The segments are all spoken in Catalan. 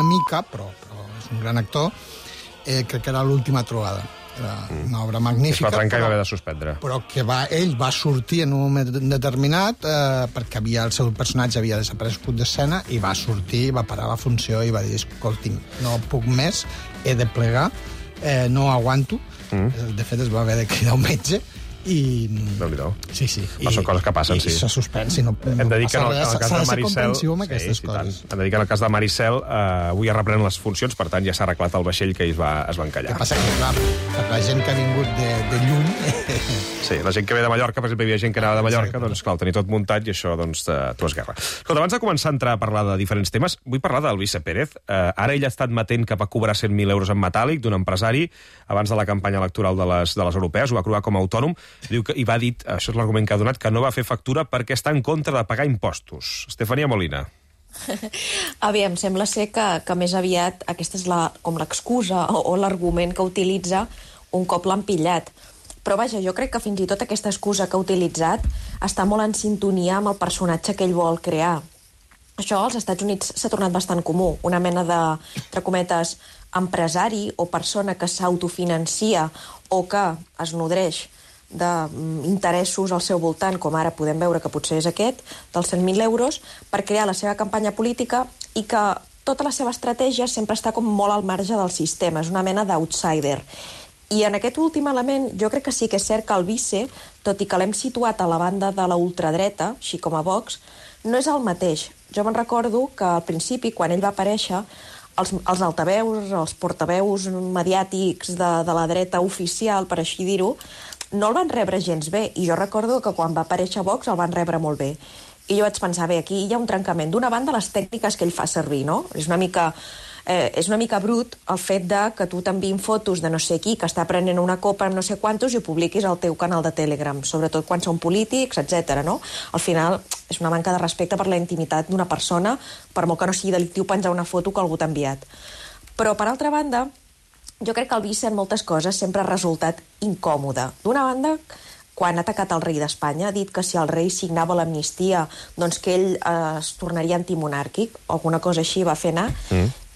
una mica, però és un gran actor, crec que era l'última trobada. Era una obra magnífica. Es va trencar i va haver de suspendre. Però que ell va sortir en un moment determinat perquè el seu personatge havia desaparegut d'escena i va sortir, va parar la funció i va dir, escolti'm, no puc més, he de plegar, no aguanto. De fet, es va haver de cridar un metge i... Déu-n'hi-do. Sí. Són coses que passen, sí. I s'ha suspès, no hem de dir que en el cas de Maricel... amb aquestes coses. Hem de dir que en el cas de Maricel avui es reprenen les funcions, per tant ja s'ha arreglat el vaixell que es va encallar. El que passa que, clar, per la gent que ha vingut de lluny... Sí, la gent que ve de Mallorca, per exemple, hi havia gent que anava de Mallorca, doncs, clar, ho tenia tot muntat i això, doncs, t'ho esguerra. Escolta, abans de començar a entrar a parlar de diferents temes, vull parlar del Alvise Pérez. Ara ell ha estat matent que va cobrar 100.000 euros en metàl·lic d'un empresari abans de la campanya electoral de les europees, ho va cobrar com a autònom, diu que, i va dir, això és l'argument que ha donat, que no va fer factura perquè està en contra de pagar impostos. Estefania Molina. Aviam, sembla ser que més aviat aquesta és com l'excusa o l'argument que utilitza un cop l'han pillat. Però vaja, jo crec que fins i tot aquesta excusa que ha utilitzat està molt en sintonia amb el personatge que ell vol crear. Això als Estats Units s'ha tornat bastant comú, una mena de, entre cometes, empresari o persona que s'autofinancia o que es nodreix d'interessos al seu voltant, com ara podem veure que potser és aquest, dels 100.000 euros, per crear la seva campanya política i que tota la seva estratègia sempre està com molt al marge del sistema, és una mena d'outsider. I en aquest últim element jo crec que sí que és cert que el Alvise, tot i que l'hem situat a la banda de la ultradreta, així com a Vox, no és el mateix. Jo me'n recordo que al principi, quan ell va aparèixer, els altaveus, els portaveus mediàtics de la dreta oficial, per així dir-ho, no el van rebre gens bé. I jo recordo que quan va aparèixer Vox el van rebre molt bé. I jo vaig pensar, bé, aquí hi ha un trencament. D'una banda, les tècniques que ell fa servir, no? És una mica brut el fet de que tu t'enviïn fotos de no sé qui que està prenent una copa amb no sé quantos i ho publiquis al teu canal de Telegram, sobretot quan són polítics, etc. no? Al final és una manca de respecte per la intimitat d'una persona, per molt que no sigui delictiu penjar una foto que algú t'ha enviat. Però, per altra banda, jo crec que el Alvise en moltes coses sempre ha resultat incòmode. D'una banda, quan ha atacat el rei d'Espanya, ha dit que si el rei signava l'amnistia, doncs que ell es tornaria antimonàrquic, o alguna cosa així va fer anar.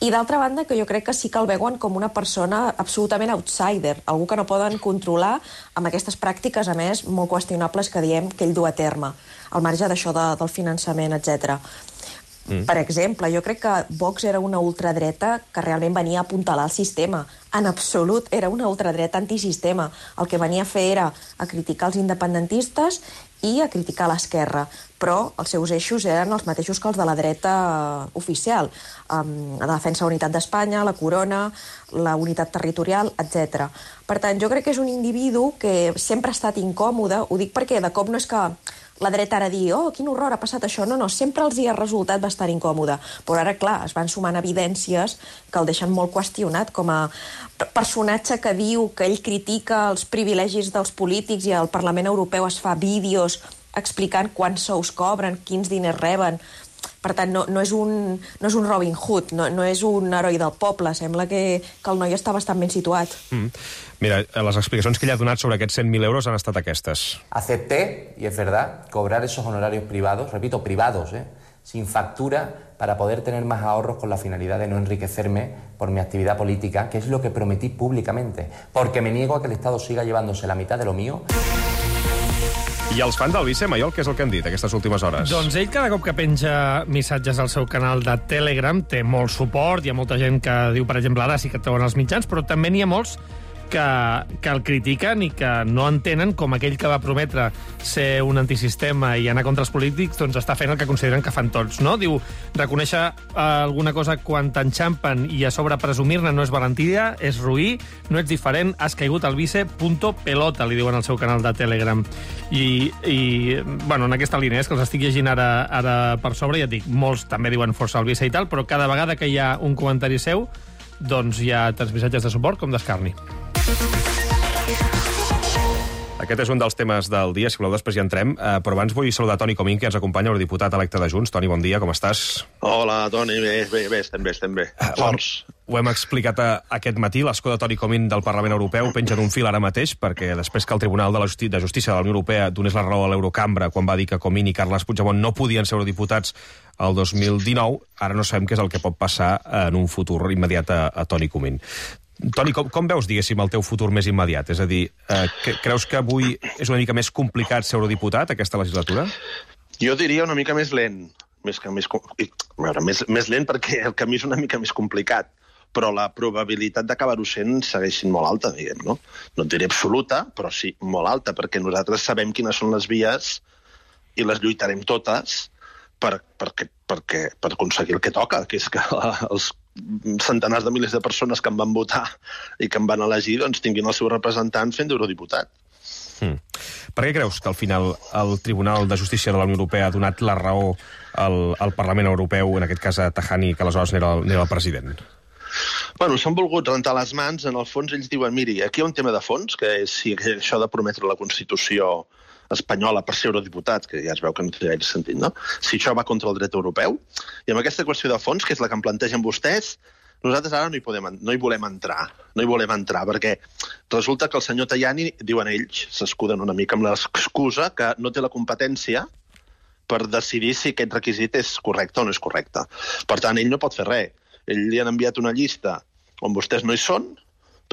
I d'altra banda, que jo crec que sí que el veuen com una persona absolutament outsider, algú que no poden controlar amb aquestes pràctiques, a més, molt qüestionables que diem que ell du a terme, al marge d'això del finançament, etc. Per exemple, jo crec que Vox era una ultradreta que realment venia a apuntalar el sistema. En absolut, era una ultradreta antisistema. El que venia a fer era a criticar els independentistes i a criticar l'esquerra. Però els seus eixos eren els mateixos que els de la dreta oficial. La defensa de la unitat d'Espanya, la corona, la unitat territorial, etc. Per tant, jo crec que és un individu que sempre ha estat incòmode. Ho dic perquè de cop no és que la dreta ara digui, oh, quin horror, ha passat això. No, sempre els hi ha resultat bastant incòmode. Però ara, clar, es van sumant evidències que el deixen molt qüestionat com a personatge que diu que ell critica els privilegis dels polítics i al Parlament Europeu es fa vídeos explicant quants sous cobren, quins diners reben. Per tant, no és un Robin Hood, no és un heroi del poble. Sembla que el noi està bastant ben situat. Mira, les explicacions que ell ha donat sobre aquests 100.000 euros han estat aquestes. Acepté, y es verdad, cobrar esos honorarios privados, repito, privados, sin factura, para poder tener más ahorros con la finalidad de no enriquecerme por mi actividad política, que es lo que prometí públicamente, porque me niego a que el Estado siga llevándose la mitad de lo mío. I els fans d'Alvise, Maiol, què és el que han dit aquestes últimes hores? Doncs ell cada cop que penja missatges al seu canal de Telegram té molt suport, hi ha molta gent que diu, per exemple, ara sí que treuen els mitjans, però també n'hi ha molts que el critiquen i que no entenen com aquell que va prometre ser un antisistema i anar contra els polítics, doncs està fent el que consideren que fan tots, no? Diu, reconèixer alguna cosa quan t'enxampen i a sobre presumir-ne no és valentia, és roí, no ets diferent, has caigut al vice.pelota, li diuen al seu canal de Telegram. I bueno, en aquesta línia és que els estic llegint ara per sobre, ja et dic, molts també diuen força al vice i tal, però cada vegada que hi ha un comentari seu, doncs hi ha tants missatges de suport com d'escarni. Aquest és un dels temes del dia, si voleu després hi entrem, però abans vull saludar Toni Comín, que ens acompanya, el diputat electe de Junts. Toni, bon dia, com estàs? Hola, Toni, bé, estem bé. Forts. Ho hem explicat aquest matí, l'escó de Toni Comín del Parlament Europeu penja d'un fil ara mateix, perquè després que el Tribunal de Justícia de la Unió Europea donés la raó a l'Eurocambra quan va dir que Comín i Carles Puigdemont no podien ser eurodiputats el 2019, ara no sabem què és el que pot passar en un futur immediat a Toni Comín. Toni, com veus, diguéssim, el teu futur més immediat? És a dir, creus que avui és una mica més complicat ser eurodiputat, aquesta legislatura? Jo diria una mica més lent. Més lent perquè el camí és una mica més complicat, però la probabilitat d'acabar-ho sent segueix sent molt alta, diguem, no? No et diré absoluta, però sí molt alta, perquè nosaltres sabem quines són les vies i les lluitarem totes per aconseguir el que toca, que és que els centenars de milers de persones que em van votar i que em van elegir doncs, tinguin el seu representant fent d'eurodiputat. Per què creus que al final el Tribunal de Justícia de la Unió Europea ha donat la raó al Parlament Europeu, en aquest cas a Tajani, que aleshores n'era el president? Bueno, s'han volgut rentar les mans. En el fons ells diuen, miri, aquí hi ha un tema de fons, que és si això de prometre la Constitució espanyola per ser eurodiputat, que ja es veu que no té gaire sentit, no? Si això va contra el dret europeu, i amb aquesta qüestió de fons, que és la que em plantegen vostès, nosaltres ara no hi volem entrar, perquè resulta que el senyor Tajani, diuen ells, s'escuden una mica amb l'excusa que no té la competència per decidir si aquest requisit és correcte o no és correcte. Per tant, ell no pot fer res. Ell li han enviat una llista on vostès no hi són,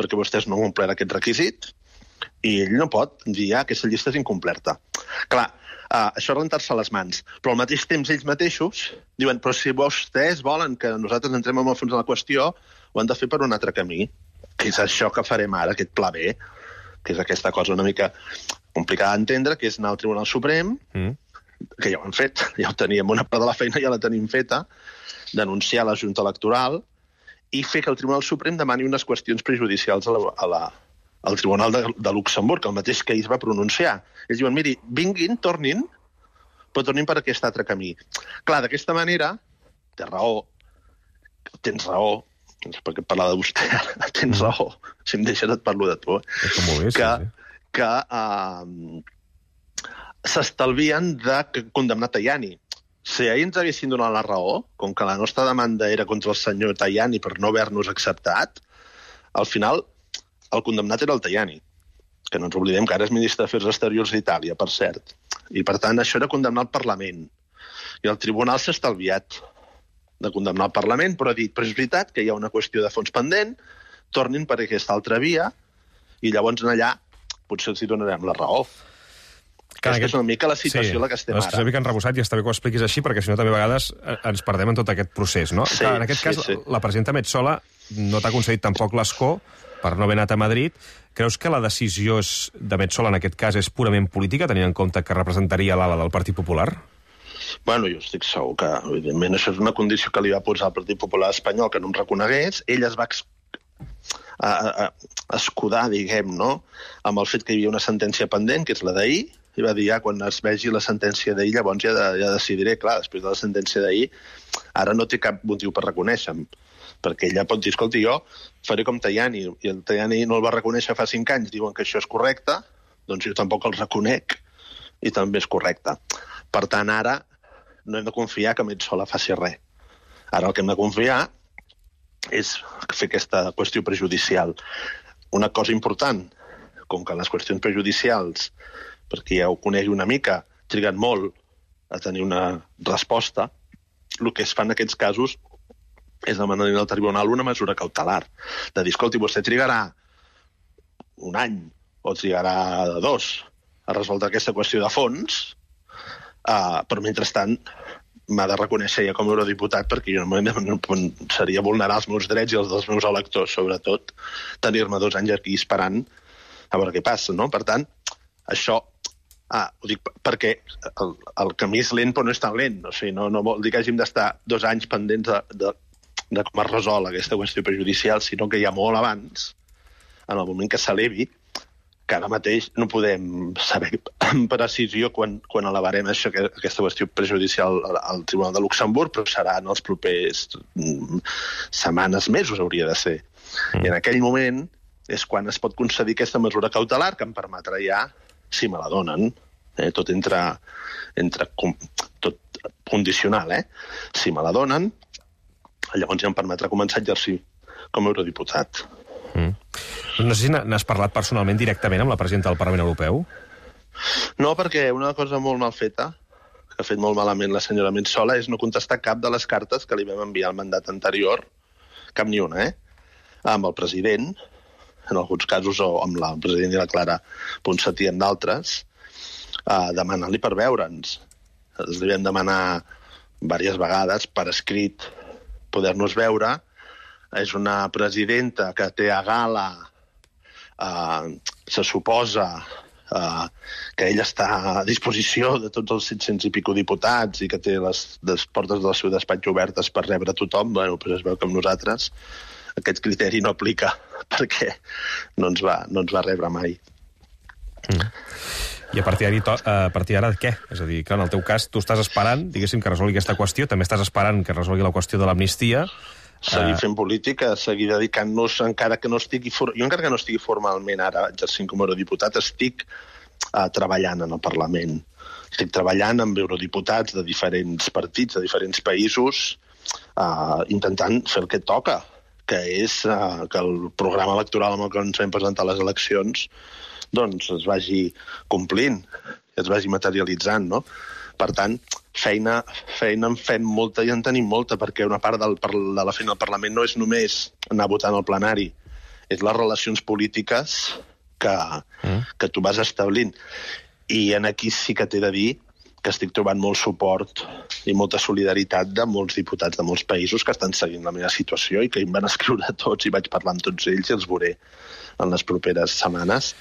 perquè vostès no han complert aquest requisit, i ell no pot dir que aquesta llista és incomplerta. Clar, això és rentar-se les mans. Però al mateix temps ells mateixos diuen, però si vostès volen que nosaltres entrem en el fons de la qüestió, ho han de fer per un altre camí, que és això que farem ara, aquest pla B, que és aquesta cosa una mica complicada d'entendre, que és anar al Tribunal Suprem, que ja ho hem fet, ja ho teníem, una part de la feina ja la tenim feta, denunciar la Junta Electoral i fer que el Tribunal Suprem demani unes qüestions prejudicials al Tribunal de Luxemburg, el mateix que ells va pronunciar. Ells diuen, miri, vinguin, tornin, però tornin per aquest altre camí. Clar, d'aquesta manera, tens raó, perquè parlar de vostè, tens raó, si em deixes et parlo de tu, que s'estalvien de condemnar Tajani. Si ahir ens haguessin donat la raó, com que la nostra demanda era contra el senyor Tajani per no haver-nos acceptat, al final el condemnat era el Tajani, que no ens oblidem que ara és ministre d'Afers Exteriors d'Itàlia, per cert. I, per tant, això era condemnar el Parlament. I el Tribunal s'ha estalviat de condemnar el Parlament, però ha dit, però és veritat que hi ha una qüestió de fons pendent, tornin per aquesta altra via, i llavors allà potser els hi donarem la raó. Aquesta és una mica la situació en la que estem ara. És una mica enrebossat i està bé que ho expliquis així, perquè si no també a vegades ens perdem en tot aquest procés, no? Sí, en aquest cas, la presidenta Metsola no t'ha concedit tampoc l'escó per no haver anat a Madrid. Creus que la decisió de Metsola en aquest cas és purament política, tenint en compte que representaria l'ala del Partit Popular? Bueno, jo estic segur que, evidentment, això és una condició que li va posar el Partit Popular espanyol, que no em reconegués. Ell es va escudar, diguem, no?, amb el fet que hi havia una sentència pendent, que és la d'ahir, i va dir, quan es vegi la sentència d'ahir, llavors ja decidiré. Clar, després de la sentència d'ahir, ara no té cap motiu per reconèixer-me, perquè ella pot dir, escolta, jo faré com Tajani, i el Tajani no el va reconèixer fa 5 anys, diuen que això és correcte, doncs jo tampoc el reconec, i també és correcte. Per tant, ara no hem de confiar que Metsola faci res. Ara el que hem de confiar és fer aquesta qüestió prejudicial. Una cosa important, com que les qüestions prejudicials, perquè ja ho conegui una mica, triguen molt a tenir una resposta, el que es fa en aquests casos és demanar al tribunal una mesura cautelar, de dir, escolti, vostè trigarà 1 any o trigarà 2 a resoldre aquesta qüestió de fons, però mentrestant m'ha de reconèixer ja com a eurodiputat, perquè jo no seria vulnerar els meus drets i els dels meus electors, sobretot tenir-me 2 anys aquí esperant a veure què passa, no? Per tant, això ho dic perquè el camí és lent però no és tan lent, o sigui, no vol dir que hàgim d'estar 2 anys pendents de com es resol aquesta qüestió prejudicial, sinó que ja molt abans, en el moment que s'elevi, que ara mateix no podem saber amb precisió quan elevarem aquesta qüestió prejudicial al Tribunal de Luxemburg, però serà en els propers setmanes, mesos hauria de ser. I en aquell moment és quan es pot concedir aquesta mesura cautelar que em permetrà ja si me la donen. Tot tot condicional, Si me la donen, llavors ja em permetrà començar a exercir com a eurodiputat. No sé si n'has parlat personalment directament amb la presidenta del Parlament Europeu? No, perquè una cosa molt mal feta, que ha fet molt malament la senyora Metsola, és no contestar cap de les cartes que li vam enviar al mandat anterior, cap ni una, amb el president, en alguns casos, o amb el president i la Clara Ponsatí en d'altres, demanant-li per veure'ns. Els vam demanar diverses vegades per escrit poder-nos veure. És una presidenta que té a gala, se suposa que ella està a disposició de tots els 700 i pico diputats i que té les portes del seu despatx obertes per rebre tothom. Bueno, doncs es veu que amb nosaltres aquest criteri no aplica perquè no ens va rebre mai. I a partir d'ara què? És a dir, que en el teu cas tu estàs esperant, diguéssim, que resolgui aquesta qüestió, també estàs esperant que resolgui la qüestió de l'amnistia. Seguir fent política, seguir dedicant-nos, encara que no estigui... Jo encara que no estigui formalment ara exercint com a eurodiputat, estic treballant en el Parlament. Estic treballant amb eurodiputats de diferents partits, de diferents països, intentant fer el que toca, que és que el programa electoral amb el que ens vam presentar a les eleccions doncs es vagi complint, es vagi materialitzant, no? Per tant, feina en fem molta i en tenim molta, perquè una part de la feina del Parlament no és només anar votant al plenari, és les relacions polítiques que tu vas establint. I aquí sí que t'he de dir que estic trobant molt suport i molta solidaritat de molts diputats de molts països que estan seguint la meva situació i que em van escriure a tots i vaig parlar amb tots ells i els veuré en les properes setmanes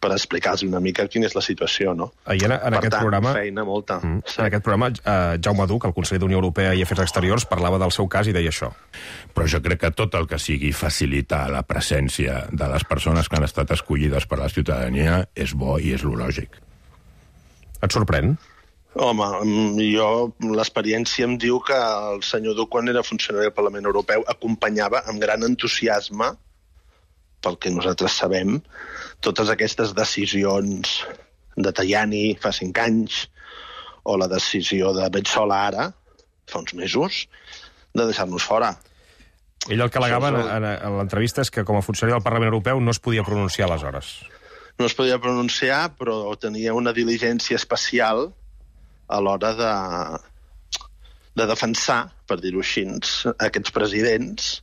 per explicar-los una mica quina és la situació, no? En aquest programa, feina molta. En aquest programa, Jaume Duch, el conseller d'Unió Europea i Afers Exteriors, parlava del seu cas i deia això. Però jo crec que tot el que sigui facilitar la presència de les persones que han estat escollides per la ciutadania és bo i és lo lògic. Et sorprèn? Home, l'experiència em diu que el senyor Duch, quan era funcionari del Parlament Europeu, acompanyava amb gran entusiasme, pel que nosaltres sabem, totes aquestes decisions de Tajani fa 5 anys o la decisió de Metsola ara, fa uns mesos, de deixar-nos fora. Ell el que al·legava en l'entrevista és que com a funcionari del Parlament Europeu no es podia pronunciar aleshores. No es podia pronunciar, però tenia una diligència especial a l'hora de defensar, per dir-ho així, aquests presidents,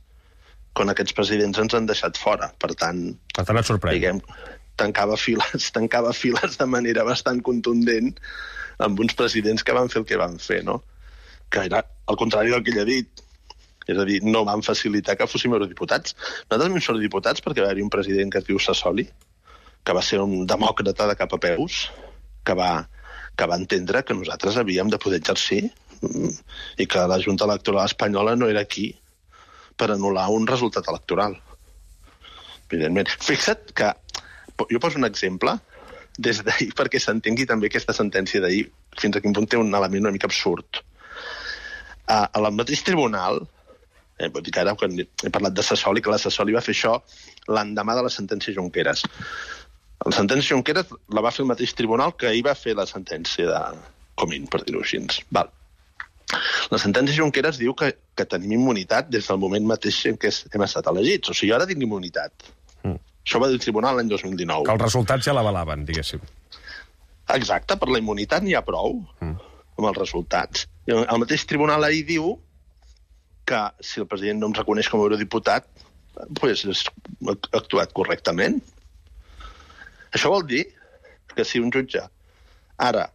quan aquests presidents ens han deixat fora. Per tant, et sorprèn. Diguem, tancava files de manera bastant contundent amb uns presidents que van fer el que van fer, no? Que era al contrari del que ell ha dit. És a dir, no van facilitar que fóssim eurodiputats. Nosaltres vam ser eurodiputats perquè va haver-hi un president que es diu Sassoli, que va ser un demòcrata de cap a peus, que va entendre que nosaltres havíem de poder exercir i que la Junta Electoral Espanyola no era aquí per anul·lar un resultat electoral. Evidentment. Fixa't que, jo poso un exemple des d'ahir perquè s'entengui també aquesta sentència d'ahir, fins a quin punt té un element una mica absurd. Al mateix tribunal, vull dir que ara quan he parlat de Sassoli, que la Sassoli va fer això l'endemà de la sentència Junqueras. La sentència Junqueras la va fer el mateix tribunal que ahir va fer la sentència de Comín, per dir-ho així. Val. La sentència Junqueras diu que tenim immunitat des del moment mateix en què hem estat elegits. O sigui, jo ara tinc immunitat. Això va dir el tribunal l'any 2019. Que els resultats ja l'avalaven, diguéssim. Exacte, per la immunitat n'hi ha prou amb els resultats. I el mateix tribunal ahir diu que si el president no em reconeix com a eurodiputat, doncs ha actuat correctament. Això vol dir que si un jutge ara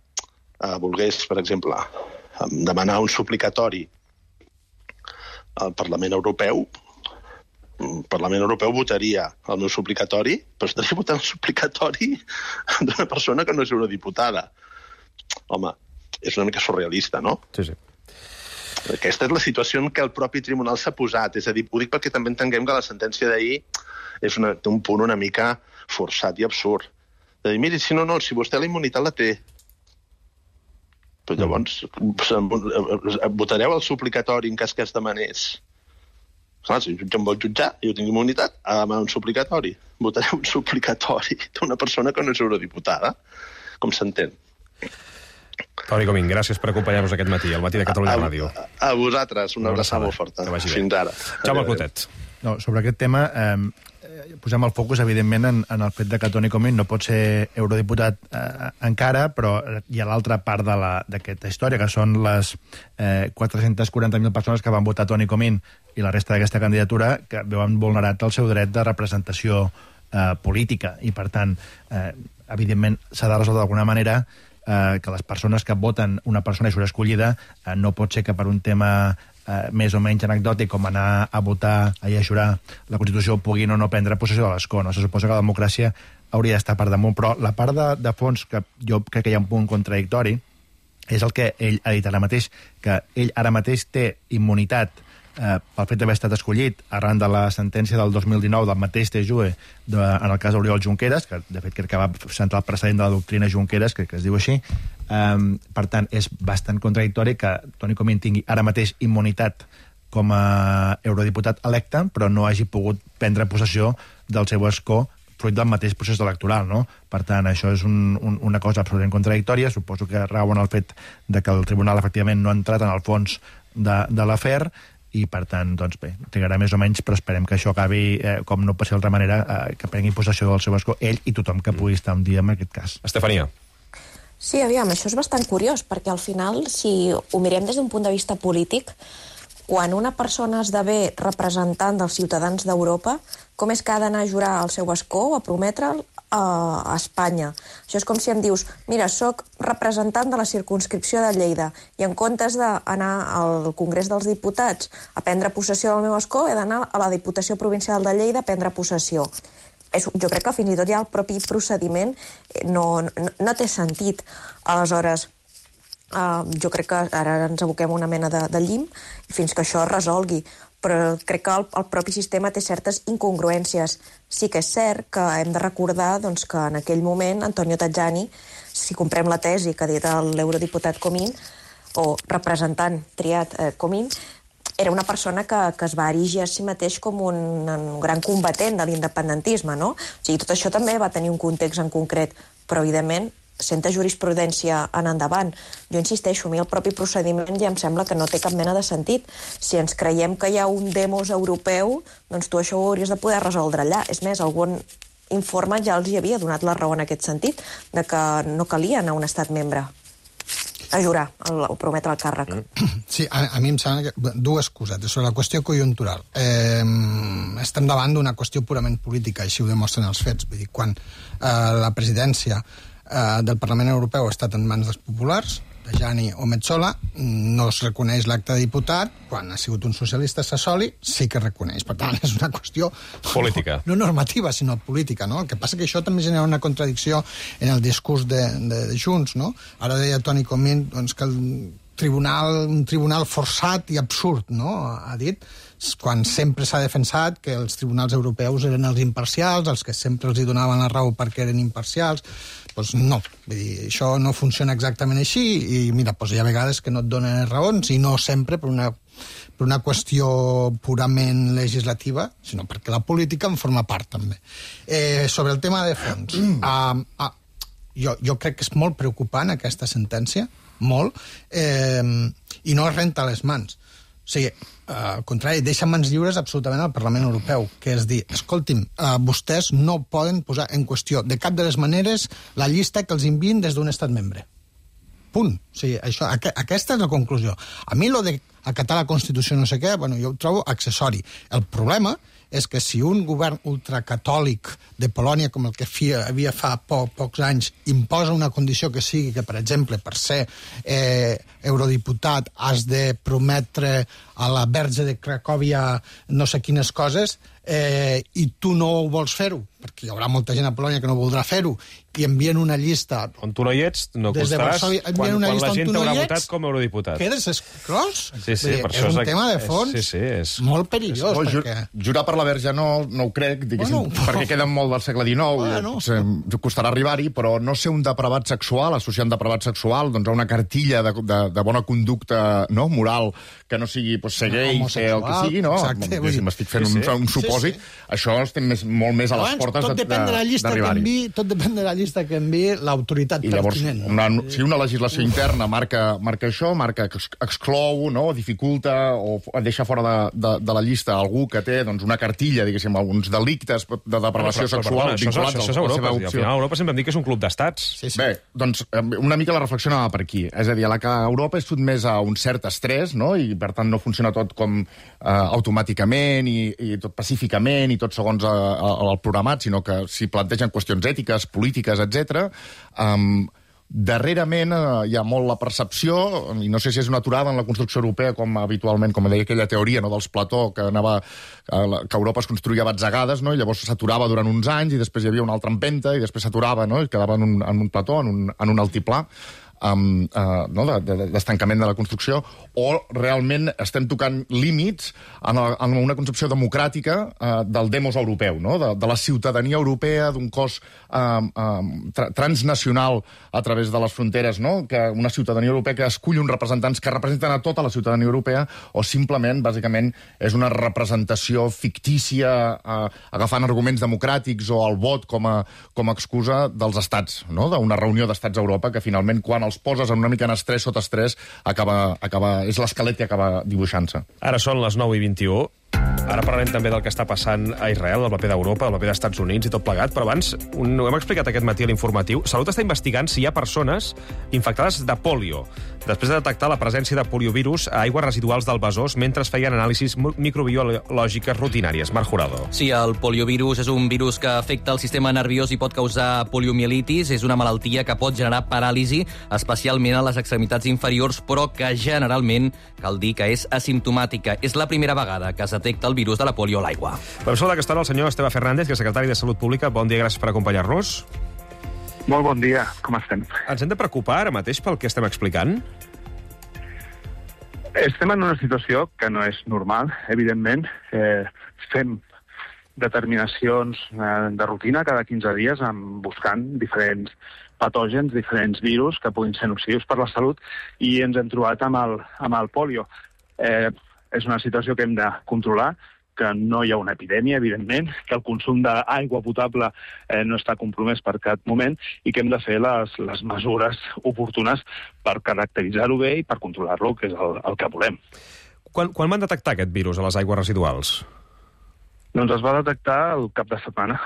volgués, per exemple, demanar un suplicatori al Parlament Europeu, el Parlament Europeu votaria el meu suplicatori, però estaria votant el suplicatori d'una persona que no és eurodiputada. Home, és una mica surrealista, no? Sí. Aquesta és la situació en què el propi tribunal s'ha posat. És a dir, ho dic perquè també entenguem que la sentència d'ahir té un punt una mica forçat i absurd. De dir, miri, si vostè la immunitat la té, però llavors votareu el suplicatori en cas que es demanés Clar, si el jutge em vol jutjar i jo tinc immunitat, ha de un suplicatori. Votaré un suplicatori d'una persona que no és eurodiputada, com s'entén. Toni Comín, gràcies per acompanyar-nos aquest matí, al matí de Catalunya Ràdio. A vosaltres, una abraçada molt forta. Fins ara. Jaume Clotet. No, sobre aquest tema, posem el focus, evidentment, en el fet de que Toni Comín no pot ser eurodiputat encara, però hi ha l'altra part d'aquesta història, que són les 440.000 persones que van votar Toni Comín i la resta d'aquesta candidatura que veuen vulnerat el seu dret de representació política. I, per tant, evidentment, s'ha de resoldre d'alguna manera que les persones que voten una persona i surt escollida no pot ser que per un tema més o menys anecdòtic com anar a votar i a jurar la Constitució puguin o no prendre possessió de l'escó. No? Se suposa que la democràcia hauria d'estar per damunt, però la part de fons que jo crec que hi ha un punt contradictori és el que ell ha dit ara mateix, que ell ara mateix té immunitat pel fet d'haver estat escollit arran de la sentència del 2019 del mateix TJUE en el cas d'Oriol Junqueras, que de fet crec que va centrar el precedent de la doctrina Junqueras, crec que es diu així. Per tant, és bastant contradictori que Toni Comín tingui ara mateix immunitat com a eurodiputat electe, però no hagi pogut prendre possessió del seu escó fruit del mateix procés electoral, no? Per tant, això és una cosa absolutament contradictòria. Suposo que rau en el fet de que el tribunal efectivament no ha entrat en el fons de l'afer, i per tant, doncs bé, trigarà més o menys, però esperem que això acabi, com no pot ser d'altra manera, que prengui possessió del seu escó ell i tothom que pugui estar un dia en aquest cas. Estefania. Sí, aviam, això és bastant curiós, perquè al final, si ho mirem des d'un punt de vista polític, quan una persona esdevé representant dels ciutadans d'Europa, com és que ha d'anar a jurar el seu escó o a prometre'l a Espanya? Això és com si em dius, mira, sóc representant de la circumscripció de Lleida i en comptes d'anar al Congrés dels Diputats a prendre possessió del meu escó, he d'anar a la Diputació Provincial de Lleida a prendre possessió. Jo crec que fins i tot ja el propi procediment no té sentit. Aleshores, jo crec que ara ens aboquem una mena de llim fins que això es resolgui, però crec que el propi sistema té certes incongruències. Sí que és cert que hem de recordar doncs, que en aquell moment Antonio Tajani, si comprem la tesi que ha dit l'eurodiputat Comín, o representant triat Comín, era una persona que es va erigir a si mateix com un gran combatent de l'independentisme, no? O sigui, tot això també va tenir un context en concret, però evidentment senta jurisprudència en endavant. Jo insisteixo, a mi el propi procediment ja em sembla que no té cap mena de sentit. Si ens creiem que hi ha un demos europeu, doncs tu això ho hauries de poder resoldre allà. És més, algun informe ja els hi havia donat la raó en aquest sentit, de que no calia anar a un estat membre a jurar o prometre el càrrec. Sí, a mi em sembla que dues cosetes. Sobre la qüestió conjuntural. Estem davant d'una qüestió purament política, així ho demostren els fets. Vull dir, quan la presidència del Parlament Europeu ha estat en mans dels populars, Tajani o Metsola, no es reconeix l'acte de diputat. Quan ha sigut un socialista Sassoli, sí que reconeix. Per tant, és una qüestió política. No normativa, sinó política, no? El que passa que això també genera una contradicció en el discurs de Junts, no? Ara deia Toni Comín doncs, que un tribunal forçat i absurd, no? Ha dit, quan sempre s'ha defensat que els tribunals europeus eren els imparcials, els que sempre els hi donaven la raó perquè eren imparcials. Doncs no, vull dir, això no funciona exactament així i mira, doncs hi ha vegades que no et donen raons i no sempre per una qüestió purament legislativa, sinó perquè la política en forma part també. Sobre el tema de fons, jo crec que és molt preocupant aquesta sentència, molt, i no es renta les mans. O sigui, al contrari, deixa mans lliures absolutament al Parlament Europeu, que és dir, escolti'm, vostès no poden posar en qüestió de cap de les maneres la llista que els envien des d'un estat membre. Punt. O sigui, aquesta és la conclusió. A mi lo de acatar la Constitució no sé què, bueno, jo ho trobo accessori. El problema és que si un govern ultracatòlic de Polònia, com el que havia fa pocs anys, imposa una condició que sigui que, per exemple, per ser eurodiputat has de prometre a la Verge de Cracòvia no sé quines coses, i tu no vols fer-ho, perquè hi haurà molta gent a Polònia que no voldrà fer-ho, i envien una llista... On tu no hi ets, no costaràs, quan la gent t'haurà votat com a eurodiputat. Quedes exclòs? Sí. per És això un tema de fons molt perillós. Jurar per la Verge no ho crec, diguéssim, perquè queden molt del segle XIX, costarà arribar-hi, però no ser un depravat sexual, associar un depravat sexual doncs, a una cartilla de bona conducta moral que no sigui ser gay, ser el que sigui, no? M'estic fent un supòsit. Això estem molt més a les portes d'arribar-hi. Tot depèn de la llista que enviï l'autoritat pertinent. I llavors, si una legislació interna marca això, marca que exclou, dificulta o deixa fora de la llista algú que té una cartilla, diguéssim, alguns delictes de depravació sexual vinculats a la seva opció. Al final, Europa sempre em diu que és un club d'estats. Bé, doncs una mica la reflexió anava per aquí. És a dir, que Europa és sotmès a un cert estrès, i per tant no funciona tot com automàticament i tot pacíficament i tot segons el programat, sinó que s'hi plantegen qüestions ètiques, polítiques, etc. Darrerament hi ha molt la percepció, i no sé si és una aturada en la construcció europea, com habitualment, com deia aquella teoria dels Plató, que Europa es construïa a batzegades, i llavors s'aturava durant uns anys, i després hi havia una altra empenta, i després s'aturava, i quedava en un plató, en un altiplà, d'estancament de la construcció, o realment estem tocant límits en una concepció democràtica del demos europeu, de la ciutadania europea, d'un cos transnacional a través de les fronteres, que una ciutadania europea que escull uns representants que representen a tota la ciutadania europea, o simplement, bàsicament, és una representació fictícia agafant arguments democràtics o el vot com a excusa dels estats, d'una reunió d'estats a Europa que finalment, quan els poses en una mica en estrès, sota estrès, és l'esquelet que acaba dibuixant-se. Ara són les 9:21. Ara parlarem també del que està passant a Israel, del paper d'Europa, del paper dels Estats Units i tot plegat, però abans ho hem explicat aquest matí a l'informatiu. Salut està investigant si hi ha persones infectades de polio, després de detectar la presència de poliovirus a aigües residuals del Besòs mentre es feien anàlisis microbiològiques rutinàries. Marc Jurado. Sí, el poliovirus és un virus que afecta el sistema nerviós i pot causar poliomielitis. És una malaltia que pot generar paràlisi, especialment a les extremitats inferiors, però que generalment cal dir que és asimptomàtica. És la primera vegada que es detecta el virus de la polio a l'aigua. Per això que està el senyor Esteve Fernández, que és secretari de Salut Pública. Bon dia, gràcies per acompanyar-nos. Molt bon dia, com estem? Ens hem de preocupar ara mateix pel que estem explicant? Estem en una situació que no és normal, evidentment. Fem determinacions de rutina cada 15 dies buscant diferents patògens, diferents virus que puguin ser nocius per la salut, i ens hem trobat amb el polio. És una situació que hem de controlar, que no hi ha una epidèmia, evidentment, que el consum d'aigua potable no està compromès per cap moment i que hem de fer les mesures oportunes per caracteritzar-ho bé i per controlar-lo, que és el que volem. Quan van detectar aquest virus a les aigües residuals? Doncs es va detectar el cap de setmana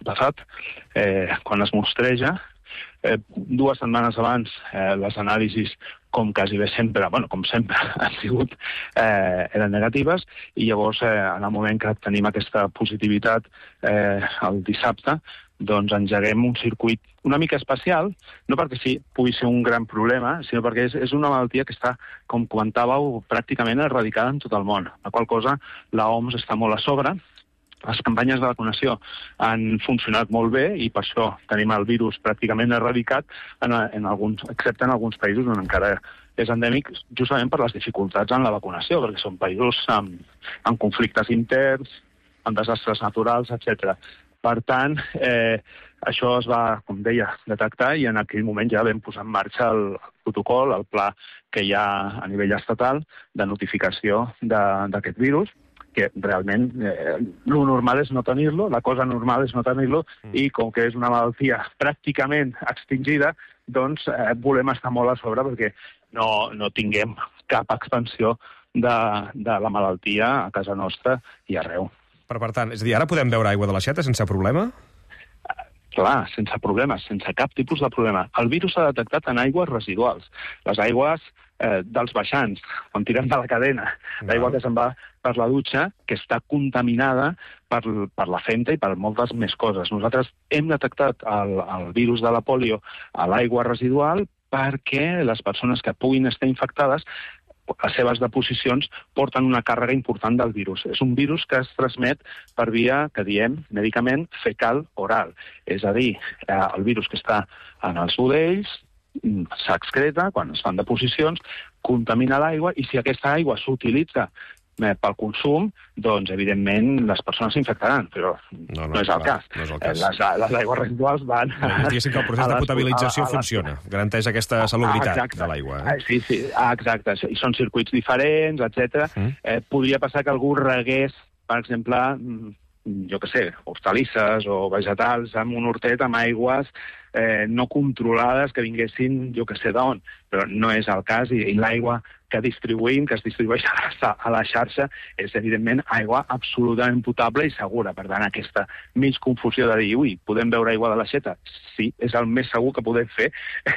passat, quan es mostreja. 2 setmanes abans les anàlisis, com quasi bé sempre, com sempre han sigut, eren negatives, i llavors en el moment que tenim aquesta positivitat el dissabte, doncs engeguem un circuit una mica especial, no perquè pugui ser un gran problema, sinó perquè és una malaltia que està, com comentàveu, pràcticament erradicada en tot el món, la qual cosa l'OMS està molt a sobre. Les campanyes de vacunació han funcionat molt bé i per això tenim el virus pràcticament erradicat, excepte en alguns països on encara és endèmic, justament per les dificultats en la vacunació, perquè són països amb conflictes interns, amb desastres naturals, etc. Per tant, això es va, com deia, detectar, i en aquell moment ja vam posar en marxa el protocol, el pla que hi ha a nivell estatal de notificació d'aquest virus, que realment lo normal és no tenir-lo, la cosa normal és no tenir-lo, i com que és una malaltia pràcticament extingida, doncs volem estar molt a sobre perquè no tinguem cap expansió de la malaltia a casa nostra i arreu. Per tant, és a dir, ara podem beure aigua de l'aixeta sense problema? Clar, sense problemes, sense cap tipus de problema. El virus s'ha detectat en aigües residuals. Les aigües dels baixants, quan tirem de la cadena, l'aigua que se'n va per la dutxa, que està contaminada per la femta i per moltes més coses. Nosaltres hem detectat el virus de la polio a l'aigua residual perquè les persones que puguin estar infectades, les seves deposicions porten una càrrega important del virus. És un virus que es transmet per via, que diem mèdicament, fecal-oral. És a dir, el virus que està en els budells s'excreta quan es fan deposicions, contamina l'aigua, i si aquesta aigua s'utilitza pel consum, doncs, evidentment, les persones s'infectaran, però no és el cas. No és el cas. Les aigües residuals van... Diguéssim que el procés de potabilització funciona, garanteix aquesta salubritat de l'aigua. Sí, exacte. I són circuits diferents, etc. Podria passar que algú regués, per exemple, jo què sé, hortalisses o vegetals amb un hortet amb aigües no controlades que vinguessin, jo què sé d'on, però no és el cas, i l'aigua que distribuïm, que es distribueix a la xarxa, és, evidentment, aigua absolutament potable i segura. Per tant, aquesta mig confusió de dir, ui, podem beure aigua de l'aixeta? Sí, és el més segur que podem fer,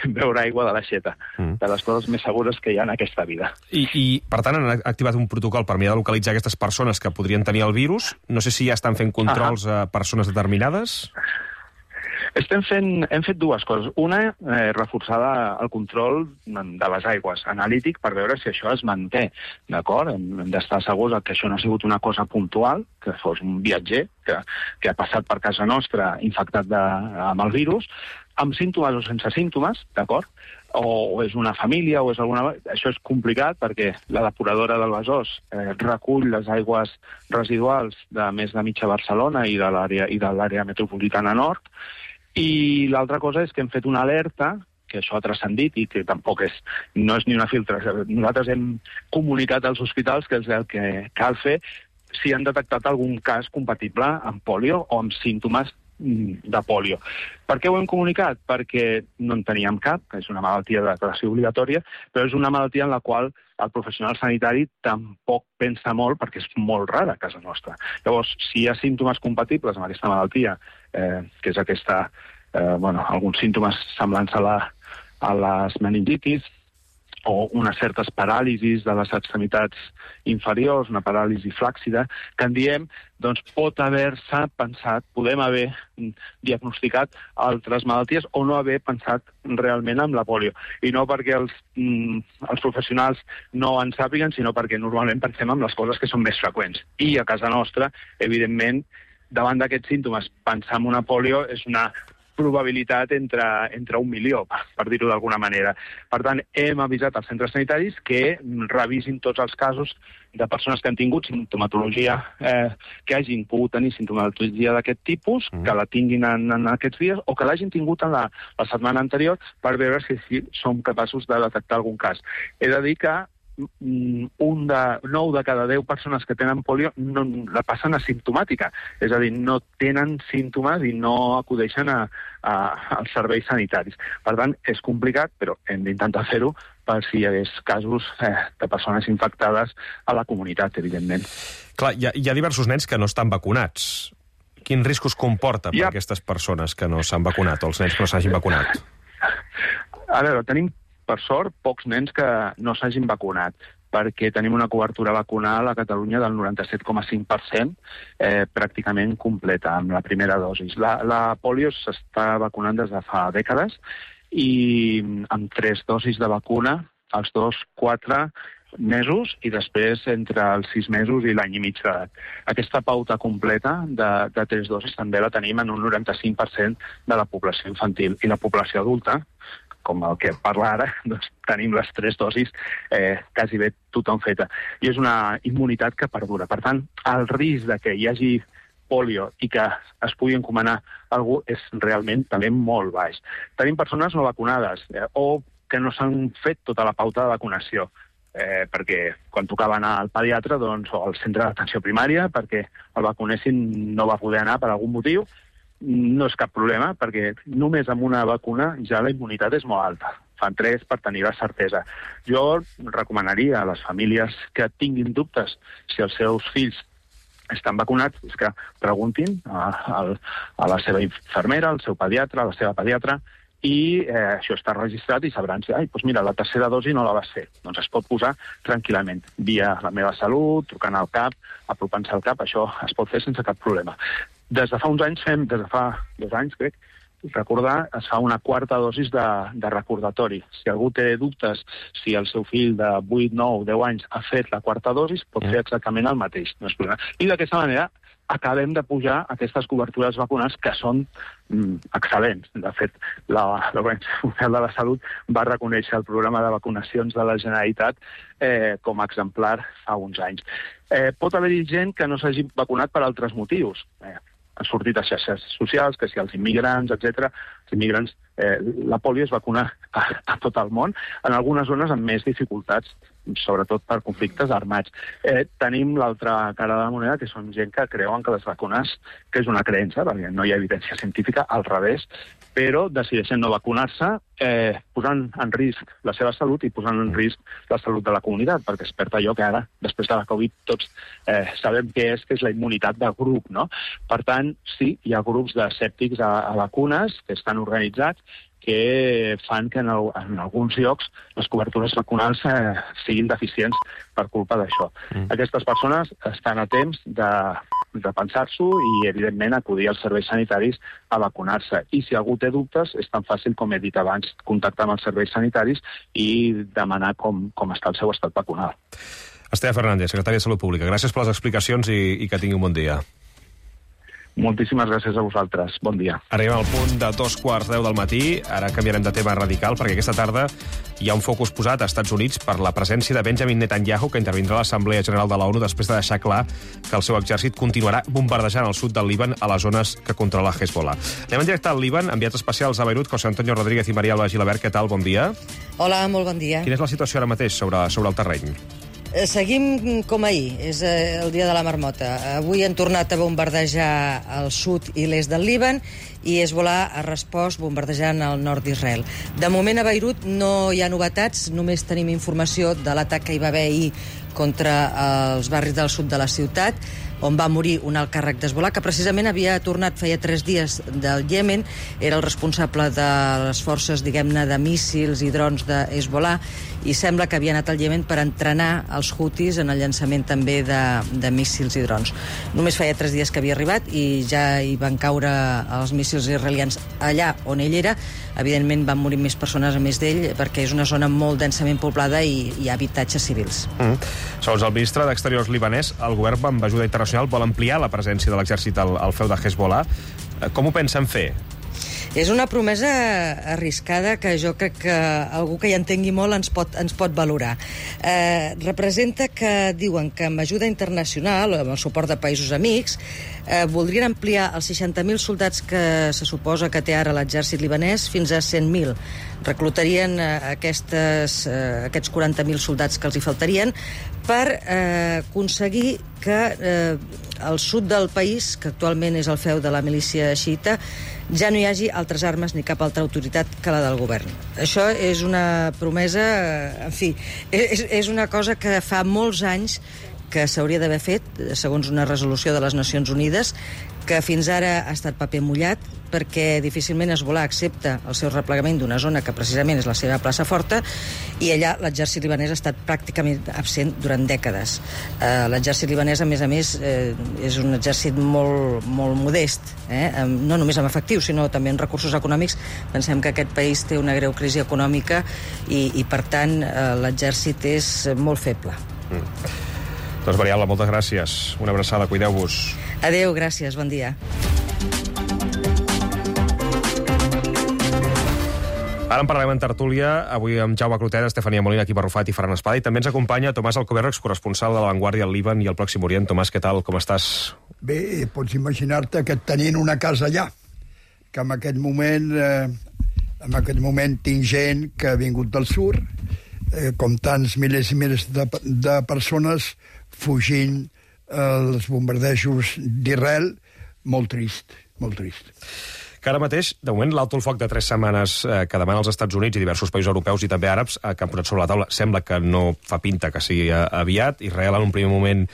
beure aigua de l'aixeta, de les coses més segures que hi ha en aquesta vida. I per tant, han activat un protocol per mirar de localitzar aquestes persones que podrien tenir el virus. No sé si ja estan fent controls a persones determinades. Hem fet dues coses. Una, reforçar el control de les aigües, analític, per veure si això es manté, d'acord? Hem d'estar segurs que això no ha sigut una cosa puntual, que fos un viatger que ha passat per casa nostra infectat amb el virus, amb símptomes o sense símptomes, d'acord? O és una família, o és alguna... Això és complicat perquè la depuradora del Besòs recull les aigües residuals de més de mitja Barcelona i de l'àrea metropolitana nord. I l'altra cosa és que hem fet una alerta, que això ha transcendit i que tampoc no és ni una filtració. Nosaltres hem comunicat als hospitals que és el que cal fer si han detectat algun cas compatible amb pòlio o amb símptomes de pòlio. Per què ho hem comunicat? Perquè no en teníem cap, que és una malaltia de declaració obligatòria, però és una malaltia en la qual el professional sanitari tampoc pensa molt perquè és molt rara a casa nostra. Llavors, si hi ha símptomes compatibles amb aquesta malaltia, que és alguns símptomes semblants a les meningitis, o unes certes paràlisis de les extremitats inferiors, una paràlisi flàccida, que en diem, doncs pot haver-se pensat, podem haver diagnosticat altres malalties o no haver pensat realment en la pòlio. I no perquè els professionals no en sàpiguen, sinó perquè normalment pensem en les coses que són més freqüents. I a casa nostra, evidentment, davant d'aquests símptomes, pensar en una pòlio és una probabilitat entre 1 milió, per dir-ho d'alguna manera. Per tant, hem avisat als centres sanitaris que revisin tots els casos de persones que han tingut sintomatologia, que hagin pogut tenir sintomatologia d'aquest tipus, que la tinguin en aquests dies, o que l'hagin tingut en la setmana anterior, per veure si som capaços de detectar algun cas. He de dir que 9 de cada 10 persones que tenen pòlio no la passen asimptomàtica, és a dir, no tenen símptomes i no acudeixen als serveis sanitaris. Per tant, és complicat, però hem d'intentar fer-ho per si hi hagués casos de persones infectades a la comunitat, evidentment. Clar, hi ha diversos nens que no estan vacunats. Quins riscos comporta per aquestes persones que no s'han vacunat, o els nens que no s'hagin vacunat? A veure, tenim per sort, pocs nens que no s'hagin vacunat, perquè tenim una cobertura vacunal a Catalunya del 97,5%, pràcticament completa, amb la primera dosi. La pòlio s'està vacunant des de fa dècades i amb 3 dosis de vacuna, els 4 mesos i després entre els 6 mesos i l'any i mig d'edat. Aquesta pauta completa de 3 dosis també la tenim en un 95% de la població infantil. I la població adulta, com el que parla ara, doncs tenim les 3 dosis quasi bé tothom feta. I és una immunitat que perdura. Per tant, el risc de que hi hagi pòlio i que es pugui encomanar algú és realment també molt baix. Tenim persones no vacunades o que no s'han fet tota la pauta de vacunació, perquè quan tocava anar al pediatre o al centre d'atenció primària perquè el vacunessin no va poder anar per algun motiu, no és cap problema, perquè només amb una vacuna ja la immunitat és molt alta. Fan 3 per tenir la certesa. Jo recomanaria a les famílies que tinguin dubtes si els seus fills estan vacunats, és que preguntin a la seva infermera, al seu pediatre, a la seva pediatra, i això està registrat i sabran si, doncs mira, la tercera dosi no la vas fer. Doncs es pot posar tranquil·lament, via la meva salut, trucant al CAP, apropant-se al CAP, això es pot fer sense cap problema. Des de fa uns anys des de fa 2 anys, crec, recordar, es fa una 4a dosis de recordatori. Si algú té dubtes si el seu fill de 8, 9, 10 anys ha fet la 4a dosis, pot fer exactament el mateix. No és problema. I d'aquesta manera acabem de pujar aquestes cobertures vacunals que són excel·lents. De fet, l'Organització Mundial de la Salut va reconèixer el programa de vacunacions de la Generalitat com a exemplar fa uns anys. Pot haver-hi gent que no s'hagi vacunat per altres motius. Han sortit a xarxes socials, que si els immigrants, etc. Els immigrants, la pòlio es vacuna a tot el món, en algunes zones amb més dificultats, sobretot per conflictes armats. Tenim l'altra cara de la moneda, que són gent que creuen que les vacunes, que és una creença, perquè no hi ha evidència científica, al revés, però decideixen no vacunar-se, posant en risc la seva salut i posant en risc la salut de la comunitat, perquè es perd allò que ara, després de la Covid, tots sabem què és la immunitat de grup, no? Per tant, sí, hi ha grups d'escèptics a vacunes que estan organitzats, que fan que en alguns llocs les cobertures vacunals siguin deficients per culpa d'això. Aquestes persones estan a temps de pensar-s'ho i, evidentment, acudir als serveis sanitaris a vacunar-se. I si algú té dubtes, és tan fàcil, com he dit abans, contactar amb els serveis sanitaris i demanar com està el seu estat vacunal. Esteve Fernández, secretari de Salut Pública, gràcies per les explicacions i que tingui un bon dia. Moltíssimes gràcies a vosaltres. Bon dia. Arribem al punt de 2:10 del matí. Ara canviarem de tema radical, perquè aquesta tarda hi ha un focus posat a Estats Units per la presència de Benjamin Netanyahu, que intervindrà a l'Assemblea General de la ONU després de deixar clar que el seu exèrcit continuarà bombardejant el sud del Líban a les zones que controla Hezbollah. Anem en directe al Líban, enviats especials a Beirut, José Antonio Rodríguez i Maria Alba Gilabert. Què tal? Bon dia. Hola, molt bon dia. Quina és la situació ara mateix sobre el terreny? Seguim com ahir, és el dia de la marmota. Avui han tornat a bombardejar el sud i l'est del Líban i Hezbollah ha respost bombardejant el nord d'Israel. De moment a Beirut no hi ha novetats, només tenim informació de l'atac que hi va haver ahir contra els barris del sud de la ciutat, on va morir un alt càrrec d'Hezbollah, que precisament havia tornat feia 3 dies del Iemen, era el responsable de les forces, diguem-ne, de míssils i drons de Hezbollah, i sembla que havia anat al Iemen per entrenar els Houthis en el llançament també de míssils i drons. Només feia 3 dies que havia arribat i ja hi van caure els míssils israelians allà on ell era. Evidentment van morir més persones a més d'ell, perquè és una zona molt densament poblada i hi ha habitatges civils. Segons el ministre d'Exteriors libanès, el govern amb ajuda internacional vol ampliar la presència de l'exèrcit al feu de Hezbollah. Com ho pensen fer? És una promesa arriscada que jo crec que algú que hi entengui molt ens pot valorar. Representa que diuen que amb ajuda internacional, amb el suport de països amics, voldrien ampliar els 60.000 soldats que se suposa que té ara l'exèrcit libanès fins a 100.000. Reclutarien aquests 40.000 soldats que els hi faltarien per aconseguir que al sud del país, que actualment és el feu de la milícia xiita, ja no hi hagi altres armes ni cap altra autoritat que la del govern. Això és una promesa, en fi, és una cosa que fa molts anys que s'hauria d'haver fet, segons una resolució de les Nacions Unides, que fins ara ha estat paper mullat, perquè difícilment Hezbollah accepta el seu replegament d'una zona que precisament és la seva plaça forta, i allà l'exèrcit libanès ha estat pràcticament absent durant dècades. L'exèrcit libanès, a més, és un exèrcit molt modest, no només amb efectius, sinó també en recursos econòmics. Pensem que aquest país té una greu crisi econòmica i per tant, l'exèrcit és molt feble. Doncs, Maria Alba, moltes gràcies. Una abraçada, cuideu-vos. Adéu, gràcies, bon dia. Ara en parlarem en tertúlia, avui amb Jaume Clotet, Estefania Molina, Quim Arrufat i Ferran Espada, i també ens acompanya Tomàs Alcoberro, excorresponsal de La Vanguardia al Líban i al Pròxim Orient. Tomàs, què tal? Com estàs? Bé, pots imaginar-te que tenint una casa allà, que en aquest moment tinc gent que ha vingut del sud, com tants milers i milers de persones fugint els bombardejos d'Israel, molt trist, molt trist. Que ara mateix, de moment, l'alto el foc de 3 setmanes que demana els Estats Units i diversos països europeus i també àrabs que han posat sobre la taula, sembla que no fa pinta que sigui aviat. Israel en un primer moment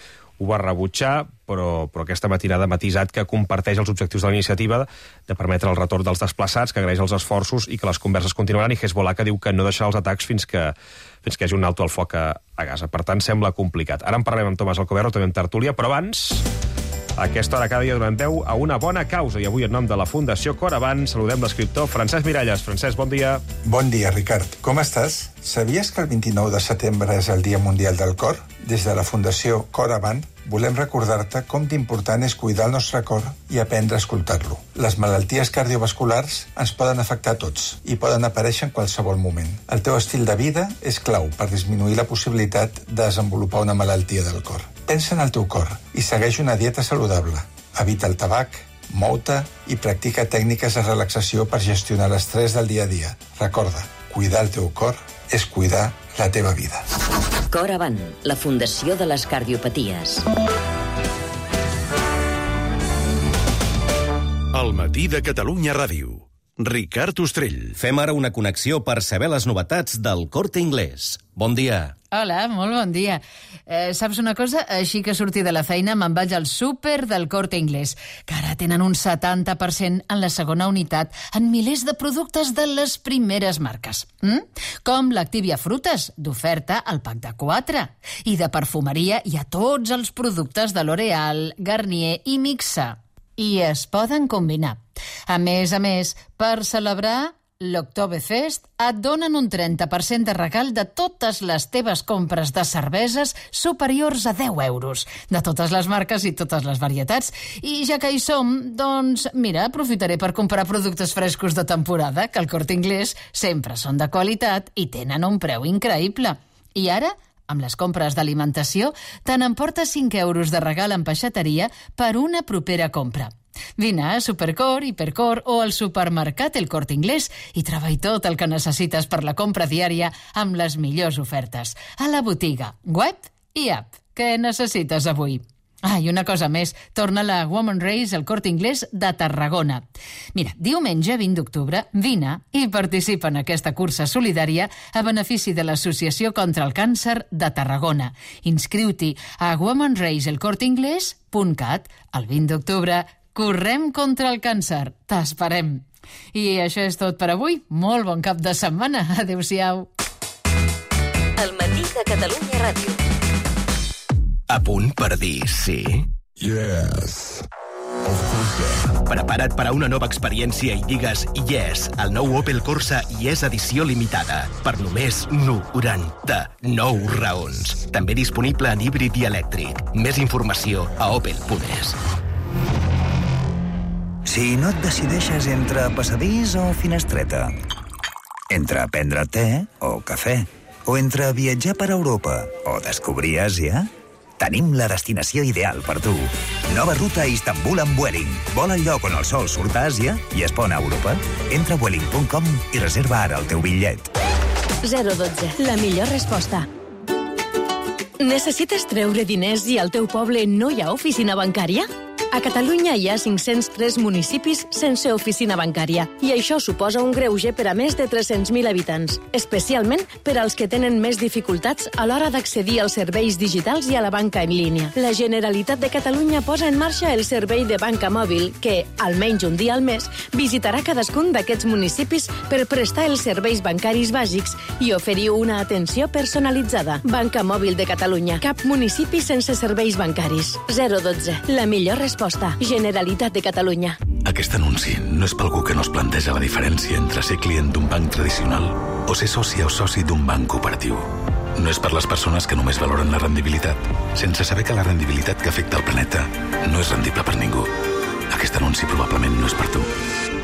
ho va rebutjar, però aquesta matinada ha matisat que comparteix els objectius de la iniciativa de permetre el retorn dels desplaçats, que agraeix els esforços i que les converses continuaran, i Hezbollah que diu que no deixarà els atacs fins que hi hagi un alto al foc a Gaza. Per tant, sembla complicat. Ara en parlarem amb Tomàs Alcoberro, també amb tertúlia, però abans A aquesta hora cada dia donem veu a una bona causa i avui en nom de la Fundació Cor Avant saludem l'escriptor Francesc Miralles. Francesc, bon dia. Bon dia, Ricard. Com estàs? Sabies que el 29 de setembre és el Dia Mundial del Cor? Des de la Fundació Cor Avant volem recordar-te com d'important és cuidar el nostre cor i aprendre a escoltar-lo. Les malalties cardiovasculars ens poden afectar a tots i poden aparèixer en qualsevol moment. El teu estil de vida és clau per disminuir la possibilitat de desenvolupar una malaltia del cor. Pensa en el teu cor i segueix una dieta saludable. Evita el tabac, mou-te i practica tècniques de relaxació per gestionar l'estrès del dia a dia. Recorda, cuidar el teu cor és cuidar la teva vida. Cor Avant, la Fundació de les Cardiopaties. El matí de Catalunya Ràdio. Ricard Ostrell. Fem ara una connexió per saber les novetats del Corte Inglés. Bon dia. Hola, molt bon dia. Saps una cosa? Així que surti de la feina me'n vaig al súper del Corte Inglés, que ara tenen un 70% en la segona unitat en milers de productes de les primeres marques. Com l'Activia Frutes, d'oferta al pack de 4. I de perfumeria hi ha tots els productes de L'Oréal, Garnier i Mixa. I es poden combinar. A més, per celebrar l'Oktoberfest et donen un 30% de regal de totes les teves compres de cerveses superiors a 10 euros, de totes les marques i totes les varietats. I ja que hi som, doncs, mira, aprofitaré per comprar productes frescos de temporada, que al Corte Inglés sempre són de qualitat i tenen un preu increïble. I ara, amb les compres d'alimentació, te n'emportes 5 euros de regal en peixateria per una propera compra. Vine a Supercor, Hipercor o al supermercat El Corte Inglés i troba-hi tot el que necessites per la compra diària amb les millors ofertes. A la botiga, web i app. Què necessites avui? I una cosa més, torna la Women's Race al Corte Inglés de Tarragona. Mira, diumenge 20 d'octubre, vine i participa en aquesta cursa solidària a benefici de l'Associació contra el Càncer de Tarragona. Inscriu-t'hi a womensraceelcorteinglés.cat. El 20 d'octubre correm contra el càncer. T'esperem. I això és tot per avui. Molt bon cap de setmana. Adéu-siau. El matí de Catalunya Ràdio. A punt per dir sí? Yes. Prepara't per a una nova experiència i digues yes al nou Opel Corsa Yes edició limitada per només 99 raons. També disponible en híbrid i elèctric. Més informació a opel.es. Si no et decideixes entre passadís o finestreta, entre prendre te o cafè, o entre viatjar per Europa o descobrir Àsia, tenim la destinació ideal per tu. Nova ruta a Istanbul amb Vueling. Vola al lloc on el sol surt a Àsia i es pon a Europa. Entra a vueling.com i reserva ara el teu bitllet. 012. La millor resposta. Necessites treure diners i al teu poble no hi ha oficina bancària? A Catalunya hi ha 503 municipis sense oficina bancària i això suposa un greuge per a més de 300.000 habitants, especialment per als que tenen més dificultats a l'hora d'accedir als serveis digitals i a la banca en línia. La Generalitat de Catalunya posa en marxa el servei de banca mòbil que, almenys un dia al mes, visitarà cadascun d'aquests municipis per prestar els serveis bancaris bàsics i oferir una atenció personalitzada. Banca Mòbil de Catalunya. Cap municipi sense serveis bancaris. 012. La millor resposta. Generalitat de Catalunya. Aquest anunci no és per algú que no es planteja la diferència entre ser client d'un banc tradicional o ser soci o soci d'un banc cooperatiu. No és per les persones que només valoren la rendibilitat, sense saber que la rendibilitat que afecta el planeta no és rendible per ningú. Aquest anunci probablement no és per tu.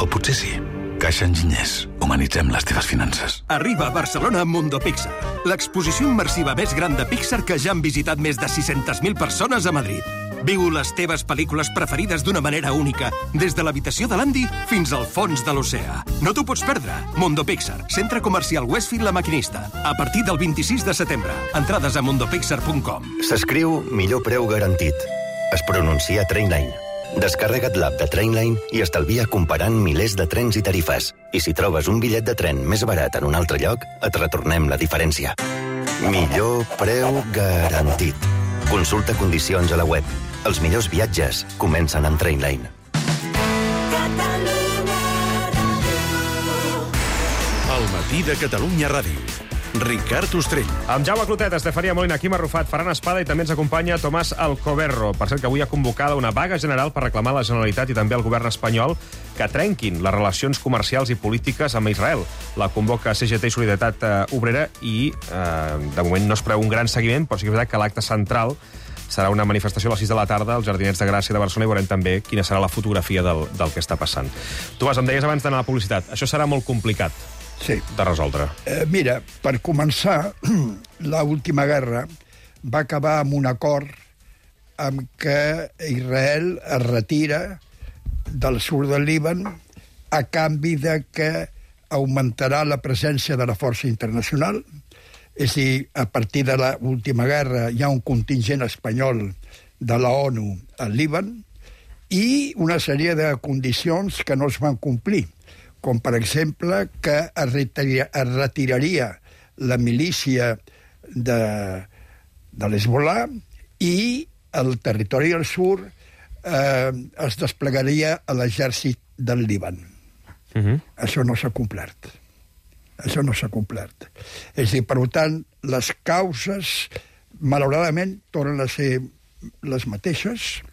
O potser sí. Caixa Enginyers. Humanitzem les teves finances. Arriba a Barcelona Mundo Pixar, l'exposició immersiva més gran de Pixar que ja han visitat més de 600.000 persones a Madrid. Viu les teves pel·lícules preferides d'una manera única, des de l'habitació de l'Andy fins al fons de l'oceà. No t'ho pots perdre. Mundo Pixar, centre comercial Westfield La Maquinista. A partir del 26 de setembre. Entrades a mundopixar.com. S'escriu millor preu garantit. Es pronuncia Trainline. Descarrega't l'app de Trainline i estalvia comparant milers de trens i tarifes. I si trobes un bitllet de tren més barat en un altre lloc, et retornem la diferència. Millor preu garantit. Consulta condicions a la web. Els millors viatges comencen amb Trainline. El matí de Catalunya Ràdio. Ricard Ostrell. Amb Jaume Clotet, Estefania Molina, Quim Arrufat, Ferran Espada i també ens acompanya Tomàs Alcoberro. Per cert, que avui ha convocada una vaga general per reclamar a la Generalitat i també al govern espanyol que trenquin les relacions comercials i polítiques amb Israel. La convoca CGT i Solidaritat Obrera i, de moment, no es preveu un gran seguiment, però sí que és veritat que l'acte central serà una manifestació a les 6 de la tarda als Jardinets de Gràcia de Barcelona i veurem també quina serà la fotografia del que està passant. Tomàs, em deies abans d'anar a la publicitat. Això serà molt complicat de resoldre. Mira, per començar, l'última guerra va acabar amb un acord amb què Israel es retira del sud del Líban a canvi de que augmentarà la presència de la força internacional. És a dir, a partir de l'última guerra hi ha un contingent espanyol de la ONU al Líban i una sèrie de condicions que no es van complir, com per exemple que es retiraria la milícia de l'Hezbollah i el territori del sud es desplegaria a l'exèrcit del Líban. Això no s'ha complert. Això no s'ha complert. És a dir, per tant, les causes, malauradament, tornen a ser les mateixes,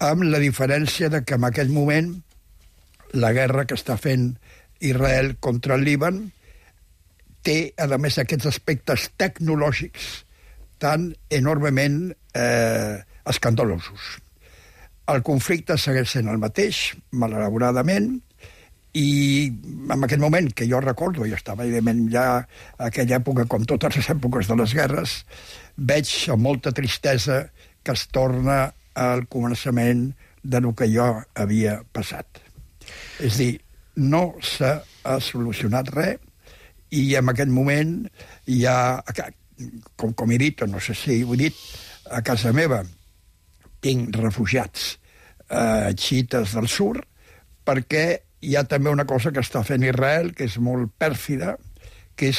amb la diferència de que en aquell moment la guerra que està fent Israel contra el Líban té, a més, aquests aspectes tecnològics tan enormement escandalosos. El conflicte segueix sent el mateix, malauradament, i en aquell moment, que jo recordo, i estava evidentment ja a aquella època, com totes les èpoques de les guerres, veig amb molta tristesa que es torna al començament de lo que jo havia passat. És a dir, no s'ha solucionat res i en aquest moment hi ha, com he dit, o no sé si ho he dit, a casa meva tinc refugiats xiites del sud perquè hi ha també una cosa que està fent Israel, que és molt pèrfida, que és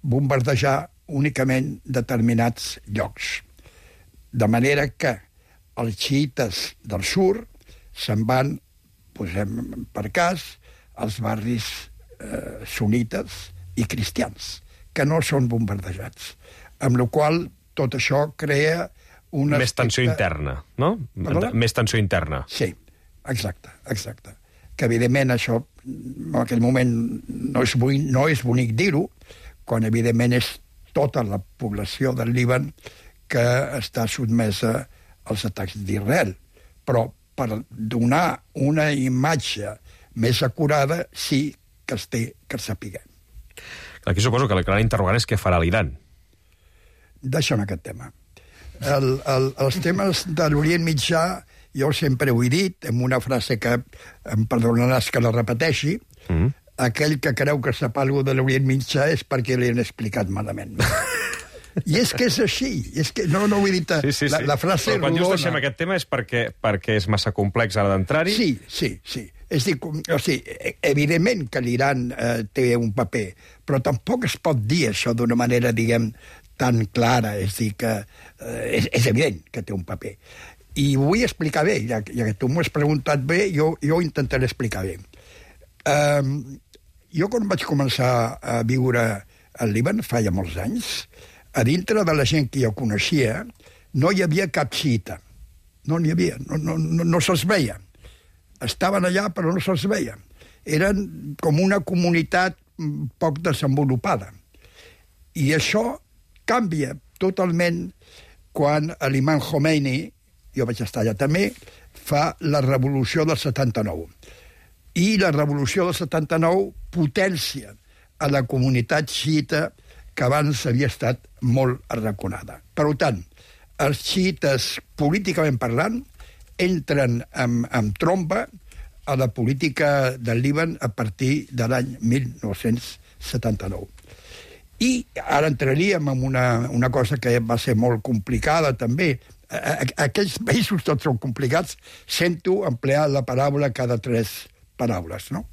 bombardejar únicament determinats llocs. De manera que els xiites del sud se'n van, posem per cas, als barris sunites i cristians, que no són bombardejats. Amb la qual tot això crea una... Més tensió interna, no? Més tensió interna. Sí, exacte. Que evidentment això en aquell moment no és bonic dir-ho, quan evidentment és tota la població del Líban que està sotmesa als atacs d'Israel. Però per donar una imatge més acurada sí que es té que sapiguem. Aquí suposo que la gran interrogant és què farà l'Iran. Deixa'm aquest tema. Els temes de l'Orient Mitjà jo sempre ho he dit, amb una frase que em perdonaràs que la repeteixi, aquell que creu que sap alguna de l'Orient Mitjà és perquè li han explicat malament. I és que és així, és que no ho he dit, sí. La frase però quan rodona. just deixem aquest tema és perquè és massa complex ara d'entrar-hi? Sí. És dir, evidentment que l'Iran té un paper, però tampoc es pot dir això d'una manera, diguem, tan clara, és dir, que és evident que té un paper. I ho vull explicar bé, ja que tu m'ho has preguntat bé, jo ho intentaré explicar bé. Jo quan vaig començar a viure al Líban, fa ja molts anys, a dintre de la gent que jo coneixia, no hi havia cap xiita. No n'hi havia, no se'ls veia. Estaven allà, però no se'ls veia. Eren com una comunitat poc desenvolupada. I això canvia totalment quan l'imam Khomeini, jo vaig estar allà també, fa la revolució del 79. I la revolució del 79 potència a la comunitat xiita que abans havia estat molt arraconada. Per tant, els xiites, políticament parlant, entren amb tromba a la política del Líban a partir de l'any 1979. I ara entraríem en una cosa que va ser molt complicada també. Aquells països tots són complicats, sento emplear la paraula cada 3 paraules, no?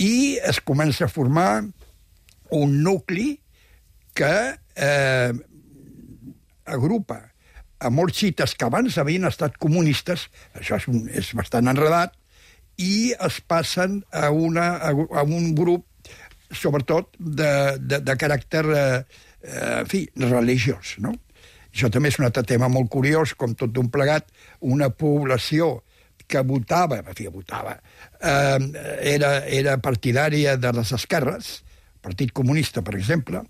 I es comença a formar un nucli que agrupa a molts xiites que abans havien estat comunistes, això és bastant enredat, i es passen a un grup, sobretot, de caràcter religiós, no? Això també és un altre tema molt curiós, com tot d'un plegat, una població que votava, era partidària de les esquerres, Partit Comunista, per exemple.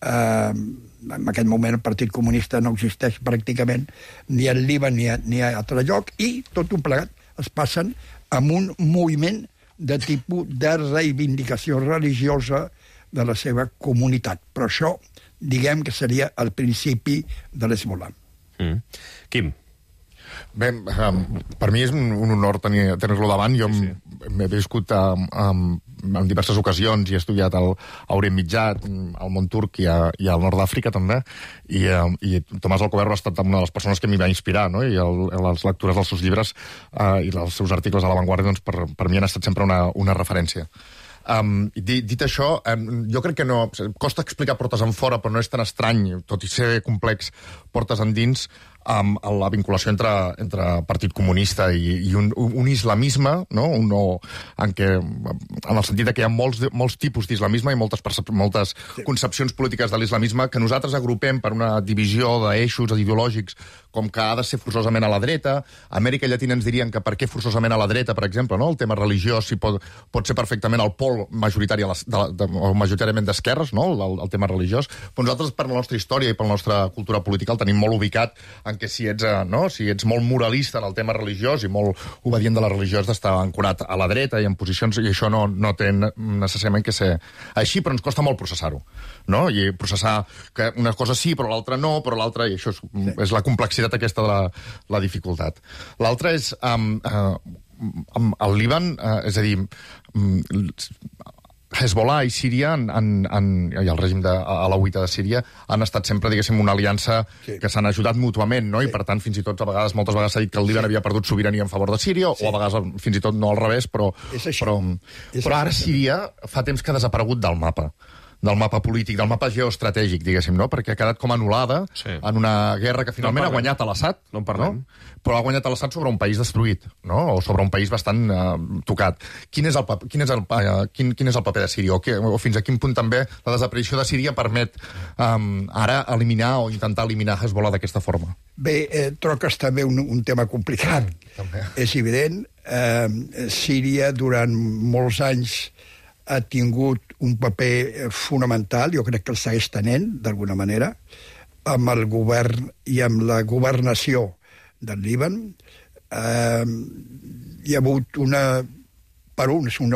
En aquest moment el Partit Comunista no existeix pràcticament ni al Líban ni a altre lloc, i tot un plegat es passen amb un moviment de tipus de reivindicació religiosa de la seva comunitat. Però això, diguem que seria el principi de l'Hezbollah. Quim? Bé, per mi és un honor tenir-lo davant. Jo m'he viscut en diverses ocasions i he estudiat al Orient Mitjà, al món turc i al nord d'Àfrica també, i Tomàs Alcoverro ha estat una de les persones que m'hi va inspirar, no? I les lectures dels seus llibres i els seus articles a La Vanguardia, doncs, per mi han estat sempre una referència. Dit això, jo crec que no costa explicar portes en fora, però no és tan estrany, tot i ser complex, portes endins, la vinculació entre Partit Comunista i un islamisme, no? En el sentit que hi ha molts tipus d'islamisme i moltes concepcions polítiques de l'islamisme que nosaltres agrupem per una divisió d'eixos ideològics, com que ha de ser forçosament a la dreta. A Amèrica Llatina ens dirien que per què forçosament a la dreta, per exemple, no? El tema religiós pot ser perfectament el pol majoritàriament d'esquerres, no? El tema religiós. Però nosaltres, per la nostra història i per la nostra cultura política, el tenim molt ubicat en què si ets molt moralista en el tema religiós i molt obedient de la religió has d'estar ancorat a la dreta i en posicions, i això no té necessàriament que ser així, però ens costa molt processar-ho, no? I processar que una cosa sí, però l'altra no, però l'altra, i això és la complexitat aquesta de la dificultat. L'altra és el Líban, és a dir, Hezbollah i Síria i el règim alauita de Síria han estat sempre, diguéssim, una aliança que s'han ajudat mútuament, no? I per tant, fins i tot moltes vegades s'ha dit que el Líban havia perdut sobirania en favor de Síria, o a vegades fins i tot no al revés, però ara Síria fa temps que ha desaparegut del mapa polític, del mapa geoestratègic, diguéssim, no? Perquè ha quedat com anul·lada en una guerra que finalment ha guanyat a l'Assad, no? Però ha guanyat a l'Assad sobre un país destruït, no? O sobre un país bastant tocat. Quin és el paper de Síria? O fins a quin punt també la desaparició de Síria permet ara eliminar o intentar eliminar Hezbollah d'aquesta forma? Bé, troc és també un tema complicat. És evident, Síria durant molts anys ha tingut un paper fonamental, jo crec que el segueix tenint, d'alguna manera, amb el govern i amb la governació del Líban. Hi ha hagut una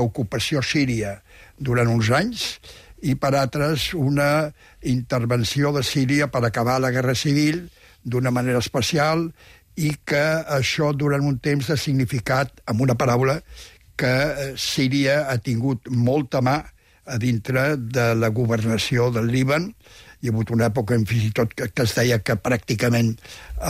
ocupació síria durant uns anys i per altres una intervenció de Síria per acabar la guerra civil d'una manera especial, i que això durant un temps ha significat, amb una paraula, que Síria ha tingut molta mà a dintre de la governació del Líban. Hi ha hagut una època fins i tot que es deia que pràcticament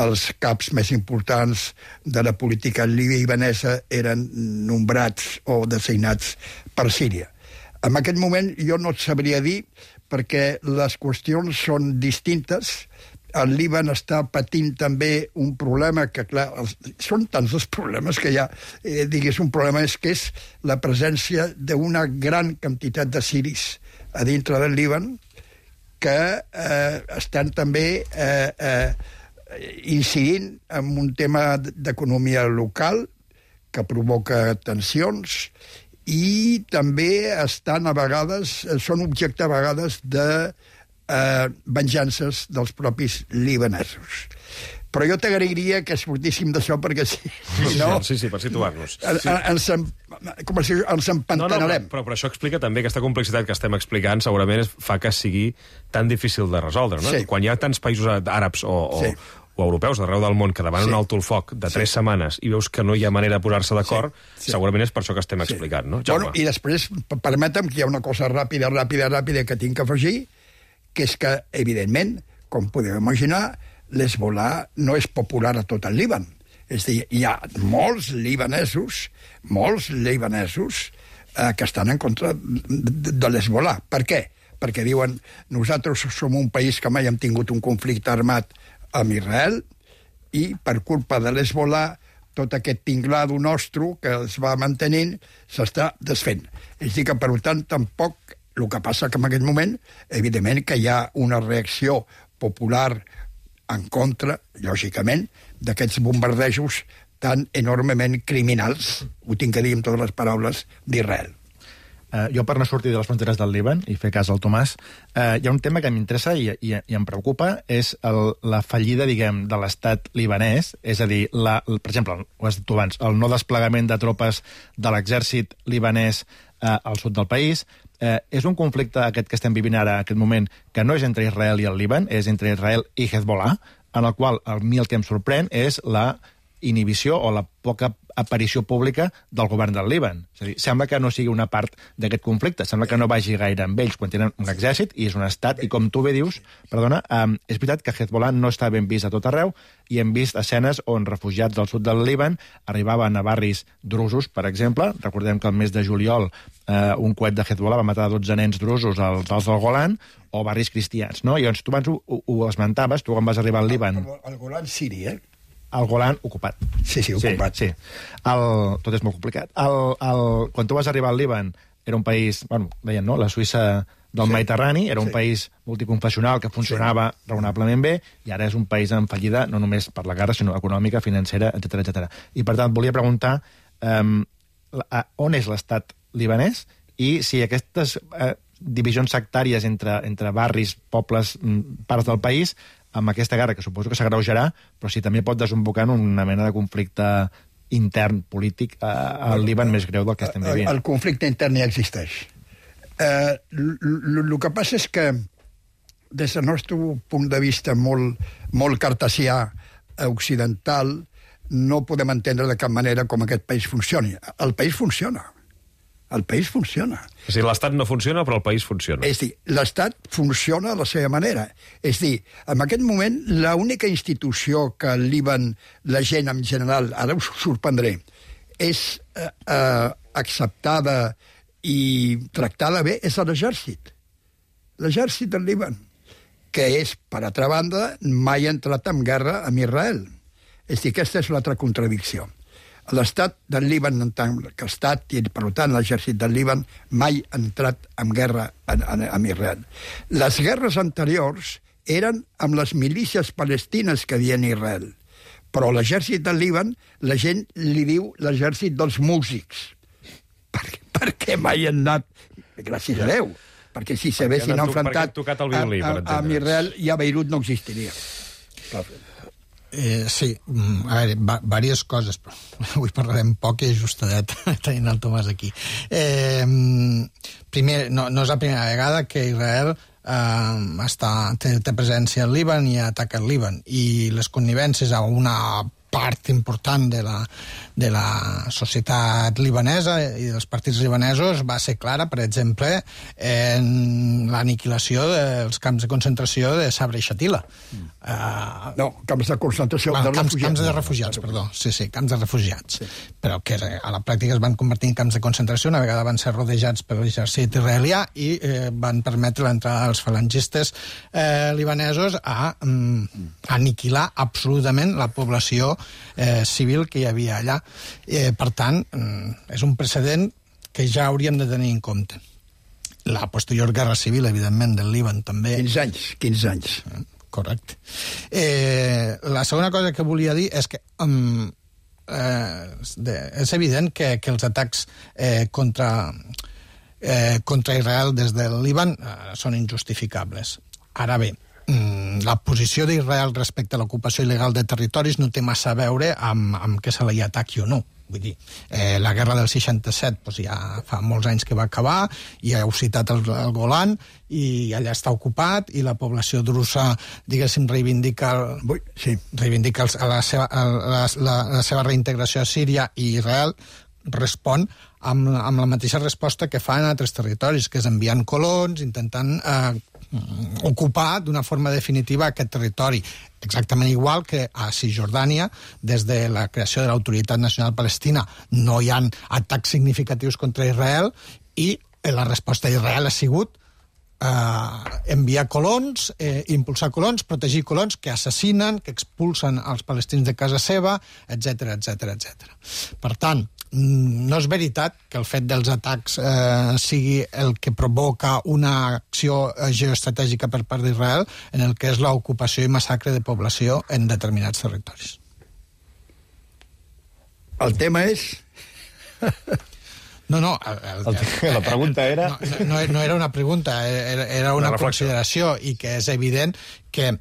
els caps més importants de la política libanesa eren nombrats o designats per Síria. En aquest moment jo no et sabria dir, perquè les qüestions són distintes. El Líban està patint també un problema que, clar, són tants els problemes que hi ha, un problema que és la presència d'una gran quantitat de siris a dintre del Líban que estan també incidint en un tema d'economia local que provoca tensions, i també estan a vegades, són objecte a vegades de venjances dels propis libanesos. Però jo t'agrairia que sortíssim d'això, perquè si no... Sí, per situar-nos. Ens empantanarem. Però això explica també aquesta complexitat que estem explicant, segurament fa que sigui tan difícil de resoldre, no? Quan hi ha tants països àrabs o europeus d'arreu del món que demanen un alto el foc de 3 setmanes i veus que no hi ha manera de posar-se d'acord, segurament és per això que estem explicant, no? Bueno, i després, permetem que hi ha una cosa ràpida que tinc que afegir, que és que, evidentment, com podeu imaginar, l'Hezbollah no és popular a tot el Líban. És a dir, hi ha molts libanesos que estan en contra de l'Hezbollah. Per què? Perquè diuen, nosaltres som un país que mai hem tingut un conflicte armat amb Israel, i per culpa de l'Hezbollah tot aquest tinglado nostre que es va mantenint s'està desfent. És a dir que, per tant, tampoc El que passa que en aquest moment, evidentment, que hi ha una reacció popular en contra, lògicament, d'aquests bombardejos tan enormement criminals, ho tinc que dir amb totes les paraules, d'Israel. Jo, per no sortir de les fronteres del Líban i fer cas al Tomàs, hi ha un tema que m'interessa i em preocupa, és la fallida, diguem, de l'estat libanès, és a dir, per exemple, ho has dit tu abans, el no desplegament de tropes de l'exèrcit libanès al sud del país. És un conflicte aquest que estem vivint ara, aquest moment, que no és entre Israel i el Líban, és entre Israel i Hezbollah, en el qual a mi el que em sorprèn és la inhibició o la poca aparició pública del govern del Líban. És a dir, sembla que no sigui una part d'aquest conflicte, sembla que no vagi gaire amb ells quan tenen un exèrcit i és un estat, i com tu bé dius, perdona, és veritat que Hezbollah no està ben vist a tot arreu i hem vist escenes on refugiats del sud del Líban arribaven a barris drusos, per exemple. Recordem que el mes de juliol un coet de Hezbollah va matar 12 nens drusos als del Golan, o barris cristians, no? I llavors tu abans ho esmentaves, tu quan vas arribar al Líban... El Golan siri, El Golan ocupat. Sí, ocupat. Sí. Tot és molt complicat. Quan tu vas arribar al Líban, era un país, bueno, deien, no?, la Suïssa del Mediterrani, era un país multiconfessional que funcionava raonablement bé, i ara és un país en fallida, no només per la guerra, sinó econòmica, financera, etc. I, per tant, volia preguntar on és l'estat libanès i si aquestes divisions sectàries entre barris, pobles, parts del país, amb aquesta guerra, que suposo que s'agreujarà, però si també pot desembocar en una mena de conflicte intern polític al Líban més greu del que estem vivint. El conflicte intern ja existeix. El que passa és que, des del nostre punt de vista molt cartesià occidental, no podem entendre de cap manera com aquest país funcioni. El país funciona. El país funciona. És a dir, l'Estat no funciona, però el país funciona. És a dir, l'Estat funciona a la seva manera. És a dir, en aquest moment, l'única institució que al Líban, la gent en general, ara us sorprendré, és acceptada i tractada bé, és l'exèrcit. L'exèrcit del Líban, que és, per altra banda, mai ha entrat en guerra amb Israel. És a dir, aquesta és l'altra contradicció. L'estat del Líban, en tant que estat, i per tant l'exèrcit del Líban, mai ha entrat en guerra amb Israel. Les guerres anteriors eren amb les milícies palestines que havien Israel. Però l'exèrcit del Líban, la gent li diu l'exèrcit dels músics. Perquè mai han anat, gràcies a Déu, perquè si s'haguessin enfrontat amb Israel, ja Beirut no existiria. Sí, a veure, diverses coses, però avui parlarem poc i ajustadet tenint el Tomàs aquí. Primer, no és la primera vegada que Israel té presència al Líban i ataca el Líban, i les connivències a una part important de la societat libanesa i dels partits libanesos va ser clara, per exemple, en l'aniquilació dels camps de concentració de Sabra i Shatila. No, camps de concentració de refugiats. Camps de refugiats, perdó. Sí, camps de refugiats. Sí. Però que a la pràctica es van convertir en camps de concentració, una vegada van ser rodejats per l'exèrcit israelià i van permetre l'entrada dels falangistes libanesos a aniquilar absolutament la població civil que hi havia allà. Per tant, és un precedent que ja hauríem de tenir en compte. La posterior guerra civil, evidentment, del Líban també. 15 anys. Correcte. La segona cosa que volia dir és que és evident que els atacs contra Israel des del Líban són injustificables. Ara bé, la posició d'Israel respecte a l'ocupació il·legal de territoris no té massa a veure amb que se li ataqui o no. Vull dir, la guerra del 67 doncs ja fa molts anys que va acabar, i heu citat el Golan, i allà està ocupat, i la població drusa, diguéssim, reivindica la seva reintegració a Síria, i Israel respon amb la mateixa resposta que fa en altres territoris, que és enviant colons, intentant ocupar d'una forma definitiva aquest territori. Exactament igual que a Cisjordània, des de la creació de l'Autoritat Nacional Palestina, no hi ha atacs significatius contra Israel, i la resposta d'Israel ha sigut enviar colons, impulsar colons, protegir colons que assassinen, que expulsen els palestins de casa seva, etc etc etc. Per tant, no és veritat que el fet dels atacs sigui el que provoca una acció geoestratègica per part d'Israel en el que és l'ocupació i massacre de població en determinats territoris. El tema és... No, la pregunta era... No era una pregunta, era una consideració, i que és evident que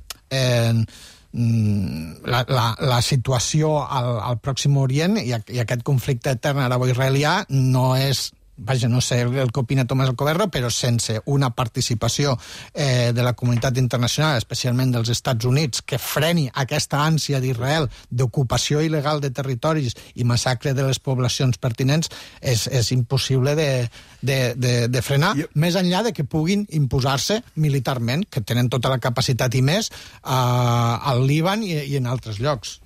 la situació al Pròxim Orient i aquest conflicte etern arabo-israelià no és... Vaja, no sé el que opina Tomàs Alcoverro, però sense una participació de la comunitat internacional, especialment dels Estats Units, que freni aquesta ànsia d'Israel d'ocupació il·legal de territoris i massacre de les poblacions pertinents, és impossible de frenar, més enllà de que puguin imposar-se militarment, que tenen tota la capacitat i més al Líban i en altres llocs.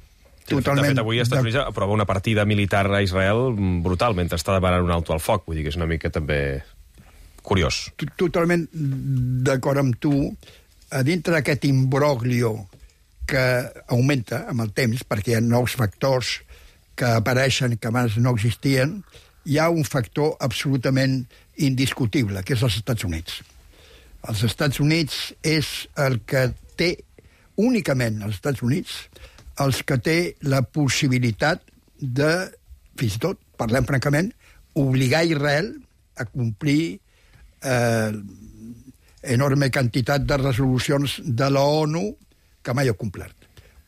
De fet, avui els Estats Units aprova una partida militar a Israel brutal, mentre està demanant un alto al foc. Vull dir que és una mica també curiós. Totalment d'acord amb tu. A dintre d'aquest imbroglio que augmenta amb el temps, perquè hi ha nous factors que apareixen que abans no existien, hi ha un factor absolutament indiscutible, que és els Estats Units. Els Estats Units és el que té, únicament els Estats Units, els que té la possibilitat de, fins i tot, parlem francament, obligar Israel a complir enorme quantitat de resolucions de la ONU que mai ha complert.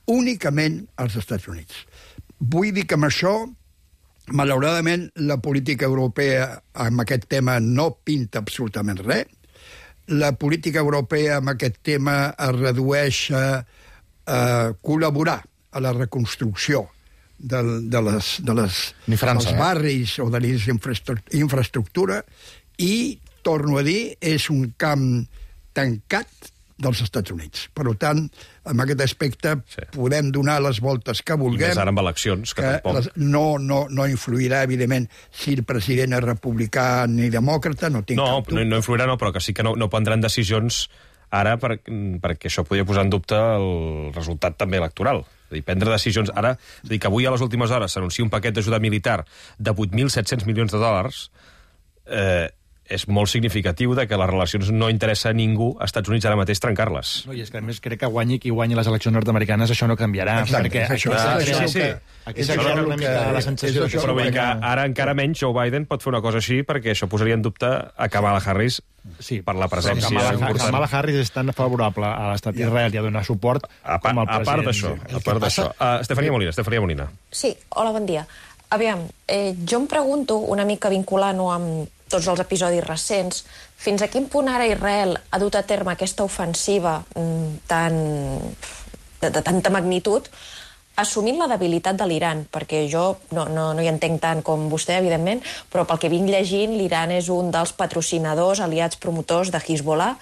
Únicament als Estats Units. Vull dir que amb això, malauradament, la política europea amb aquest tema no pinta absolutament res. La política europea amb aquest tema es redueix a col·laborar a la reconstrucció dels barris o de l'infraestructura i, torno a dir, és un camp tancat dels Estats Units. Per tant, en aquest aspecte podem donar les voltes que vulguem. I més ara amb eleccions, que tampoc... No influirà, evidentment, si el president és republicà ni demòcrata, no tinc cap dubte. No influirà, però que sí que no prendran decisions ara perquè això podria posar en dubte el resultat també electoral. És a dir, prendre decisions ara... És a dir, que avui a les últimes hores s'anuncia un paquet d'ajuda militar de 8.700 milions de dòlars, és molt significatiu de que les relacions no interessa a ningú a Estats Units ara mateix trencar-les. No, i és que a més crec que guanyi qui guanyi les eleccions nord-americanes això no canviarà. Exacte, Aquesta és una mica la sensació. Però vull dir que ara encara menys Joe Biden pot fer una cosa així perquè això posaria en dubte a Kamala Harris per la presència important. Kamala Harris és tan favorable a l'estat d'Israel i a donar suport com el president. A part d'això. Estefania Molina. Sí, hola, bon dia. Aviam, jo em pregunto, una mica vinculant-ho amb tots els episodis recents, fins a quin punt ara Israel ha dut a terme aquesta ofensiva de tanta magnitud, assumint la debilitat de l'Iran, perquè jo no hi entenc tant com vostè, evidentment, però pel que vinc llegint, l'Iran és un dels patrocinadors, aliats promotors de Hezbollah.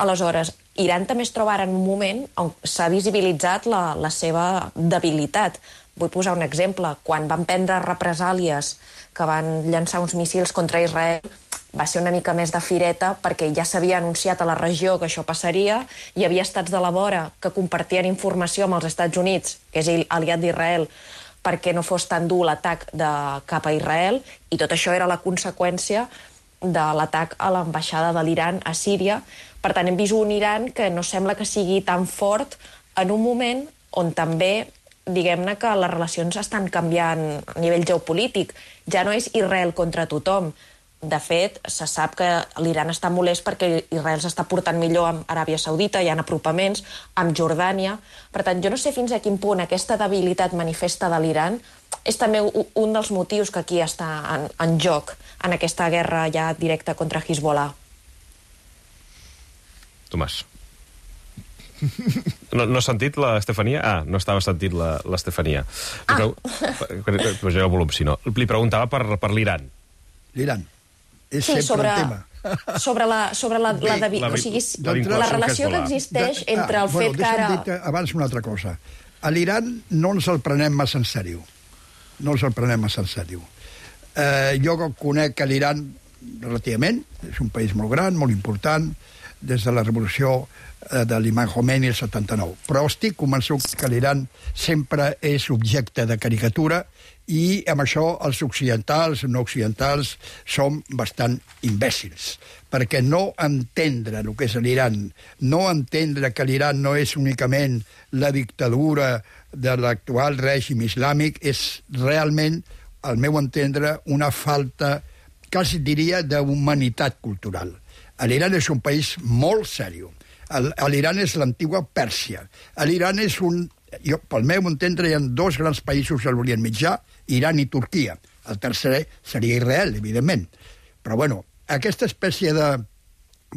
Aleshores, Iran també es troba ara en un moment on s'ha visibilitzat la seva debilitat. Vull posar un exemple. Quan van prendre represàlies que van llançar uns míssils contra Israel, va ser una mica més de fireta perquè ja s'havia anunciat a la regió que això passaria, hi havia estats de la vora que compartien informació amb els Estats Units, que és aliat d'Israel, perquè no fos tan dur l'atac cap a Israel, i tot això era la conseqüència de l'atac a l'ambaixada de l'Iran a Síria. Per tant, hem vist un Iran que no sembla que sigui tan fort en un moment on també, diguem-ne, que les relacions estan canviant a nivell geopolític. Ja no és Israel contra tothom. De fet, se sap que l'Iran està molest perquè Israel s'està portant millor amb Aràbia Saudita, hi ha apropaments, amb Jordània. Per tant, jo no sé fins a quin punt aquesta debilitat manifesta de l'Iran és també un dels motius que aquí està en joc en aquesta guerra ja directa contra Hezbollah. Tomàs. No has sentit l'Estefania? No estava sentint l'Estefania. Pujaré el volum, si no. Li preguntava per l'Iran. L'Iran. És sempre el tema. Sobre la relació que existeix entre el fet que ara... Deixa'm dir abans una altra cosa. A l'Iran no ens el prenem massa en sèrio. Jo conec l'Iran relativament, és un país molt gran, molt important, des de la revolució de l'imam Khomeini el 79. Però estic convençut que l'Iran sempre és objecte de caricatura i amb això els occidentals, no occidentals, som bastant imbècils, perquè no entendre el que és l'Iran, no entendre que l'Iran no és únicament la dictadura de l'actual règim islàmic és realment, al meu entendre, una falta, quasi diria, d'humanitat cultural. L'Iran és un país molt seriós. L'Iran és l'antiga Pèrsia. L'Iran és un... Pel meu entendre, hi ha dos grans països a l'Orient Mitjà, Iran i Turquia. El tercer seria Israel, evidentment. Però, bueno, aquesta espècie de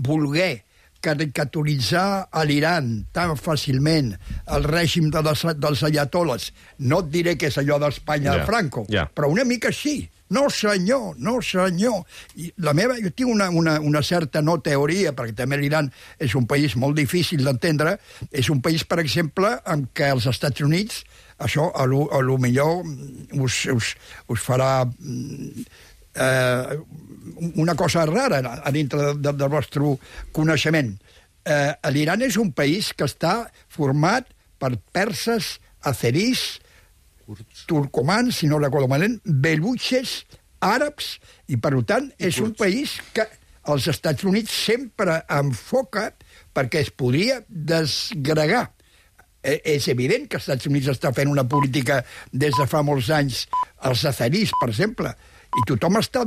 voler caricaturitzar a l'Iran tan fàcilment el règim dels ayatoles, no et diré que és allò d'Espanya de Franco, però una mica així. No, senyor, no, senyor. Jo tinc una certa no teoria, perquè també l'Iran és un país molt difícil d'entendre, és un país, per exemple, en què els Estats Units, això a lo millor us farà una cosa rara a dintre del vostre coneixement. L'Iran és un país que està format per perses, azeris, turcomans, si no recordo malament, belutxes, àrabs, i per tant és un país que els Estats Units sempre enfoca perquè es podria desgregar. És evident que els Estats Units està fent una política des de fa molts anys als azeris, per exemple, i tothom està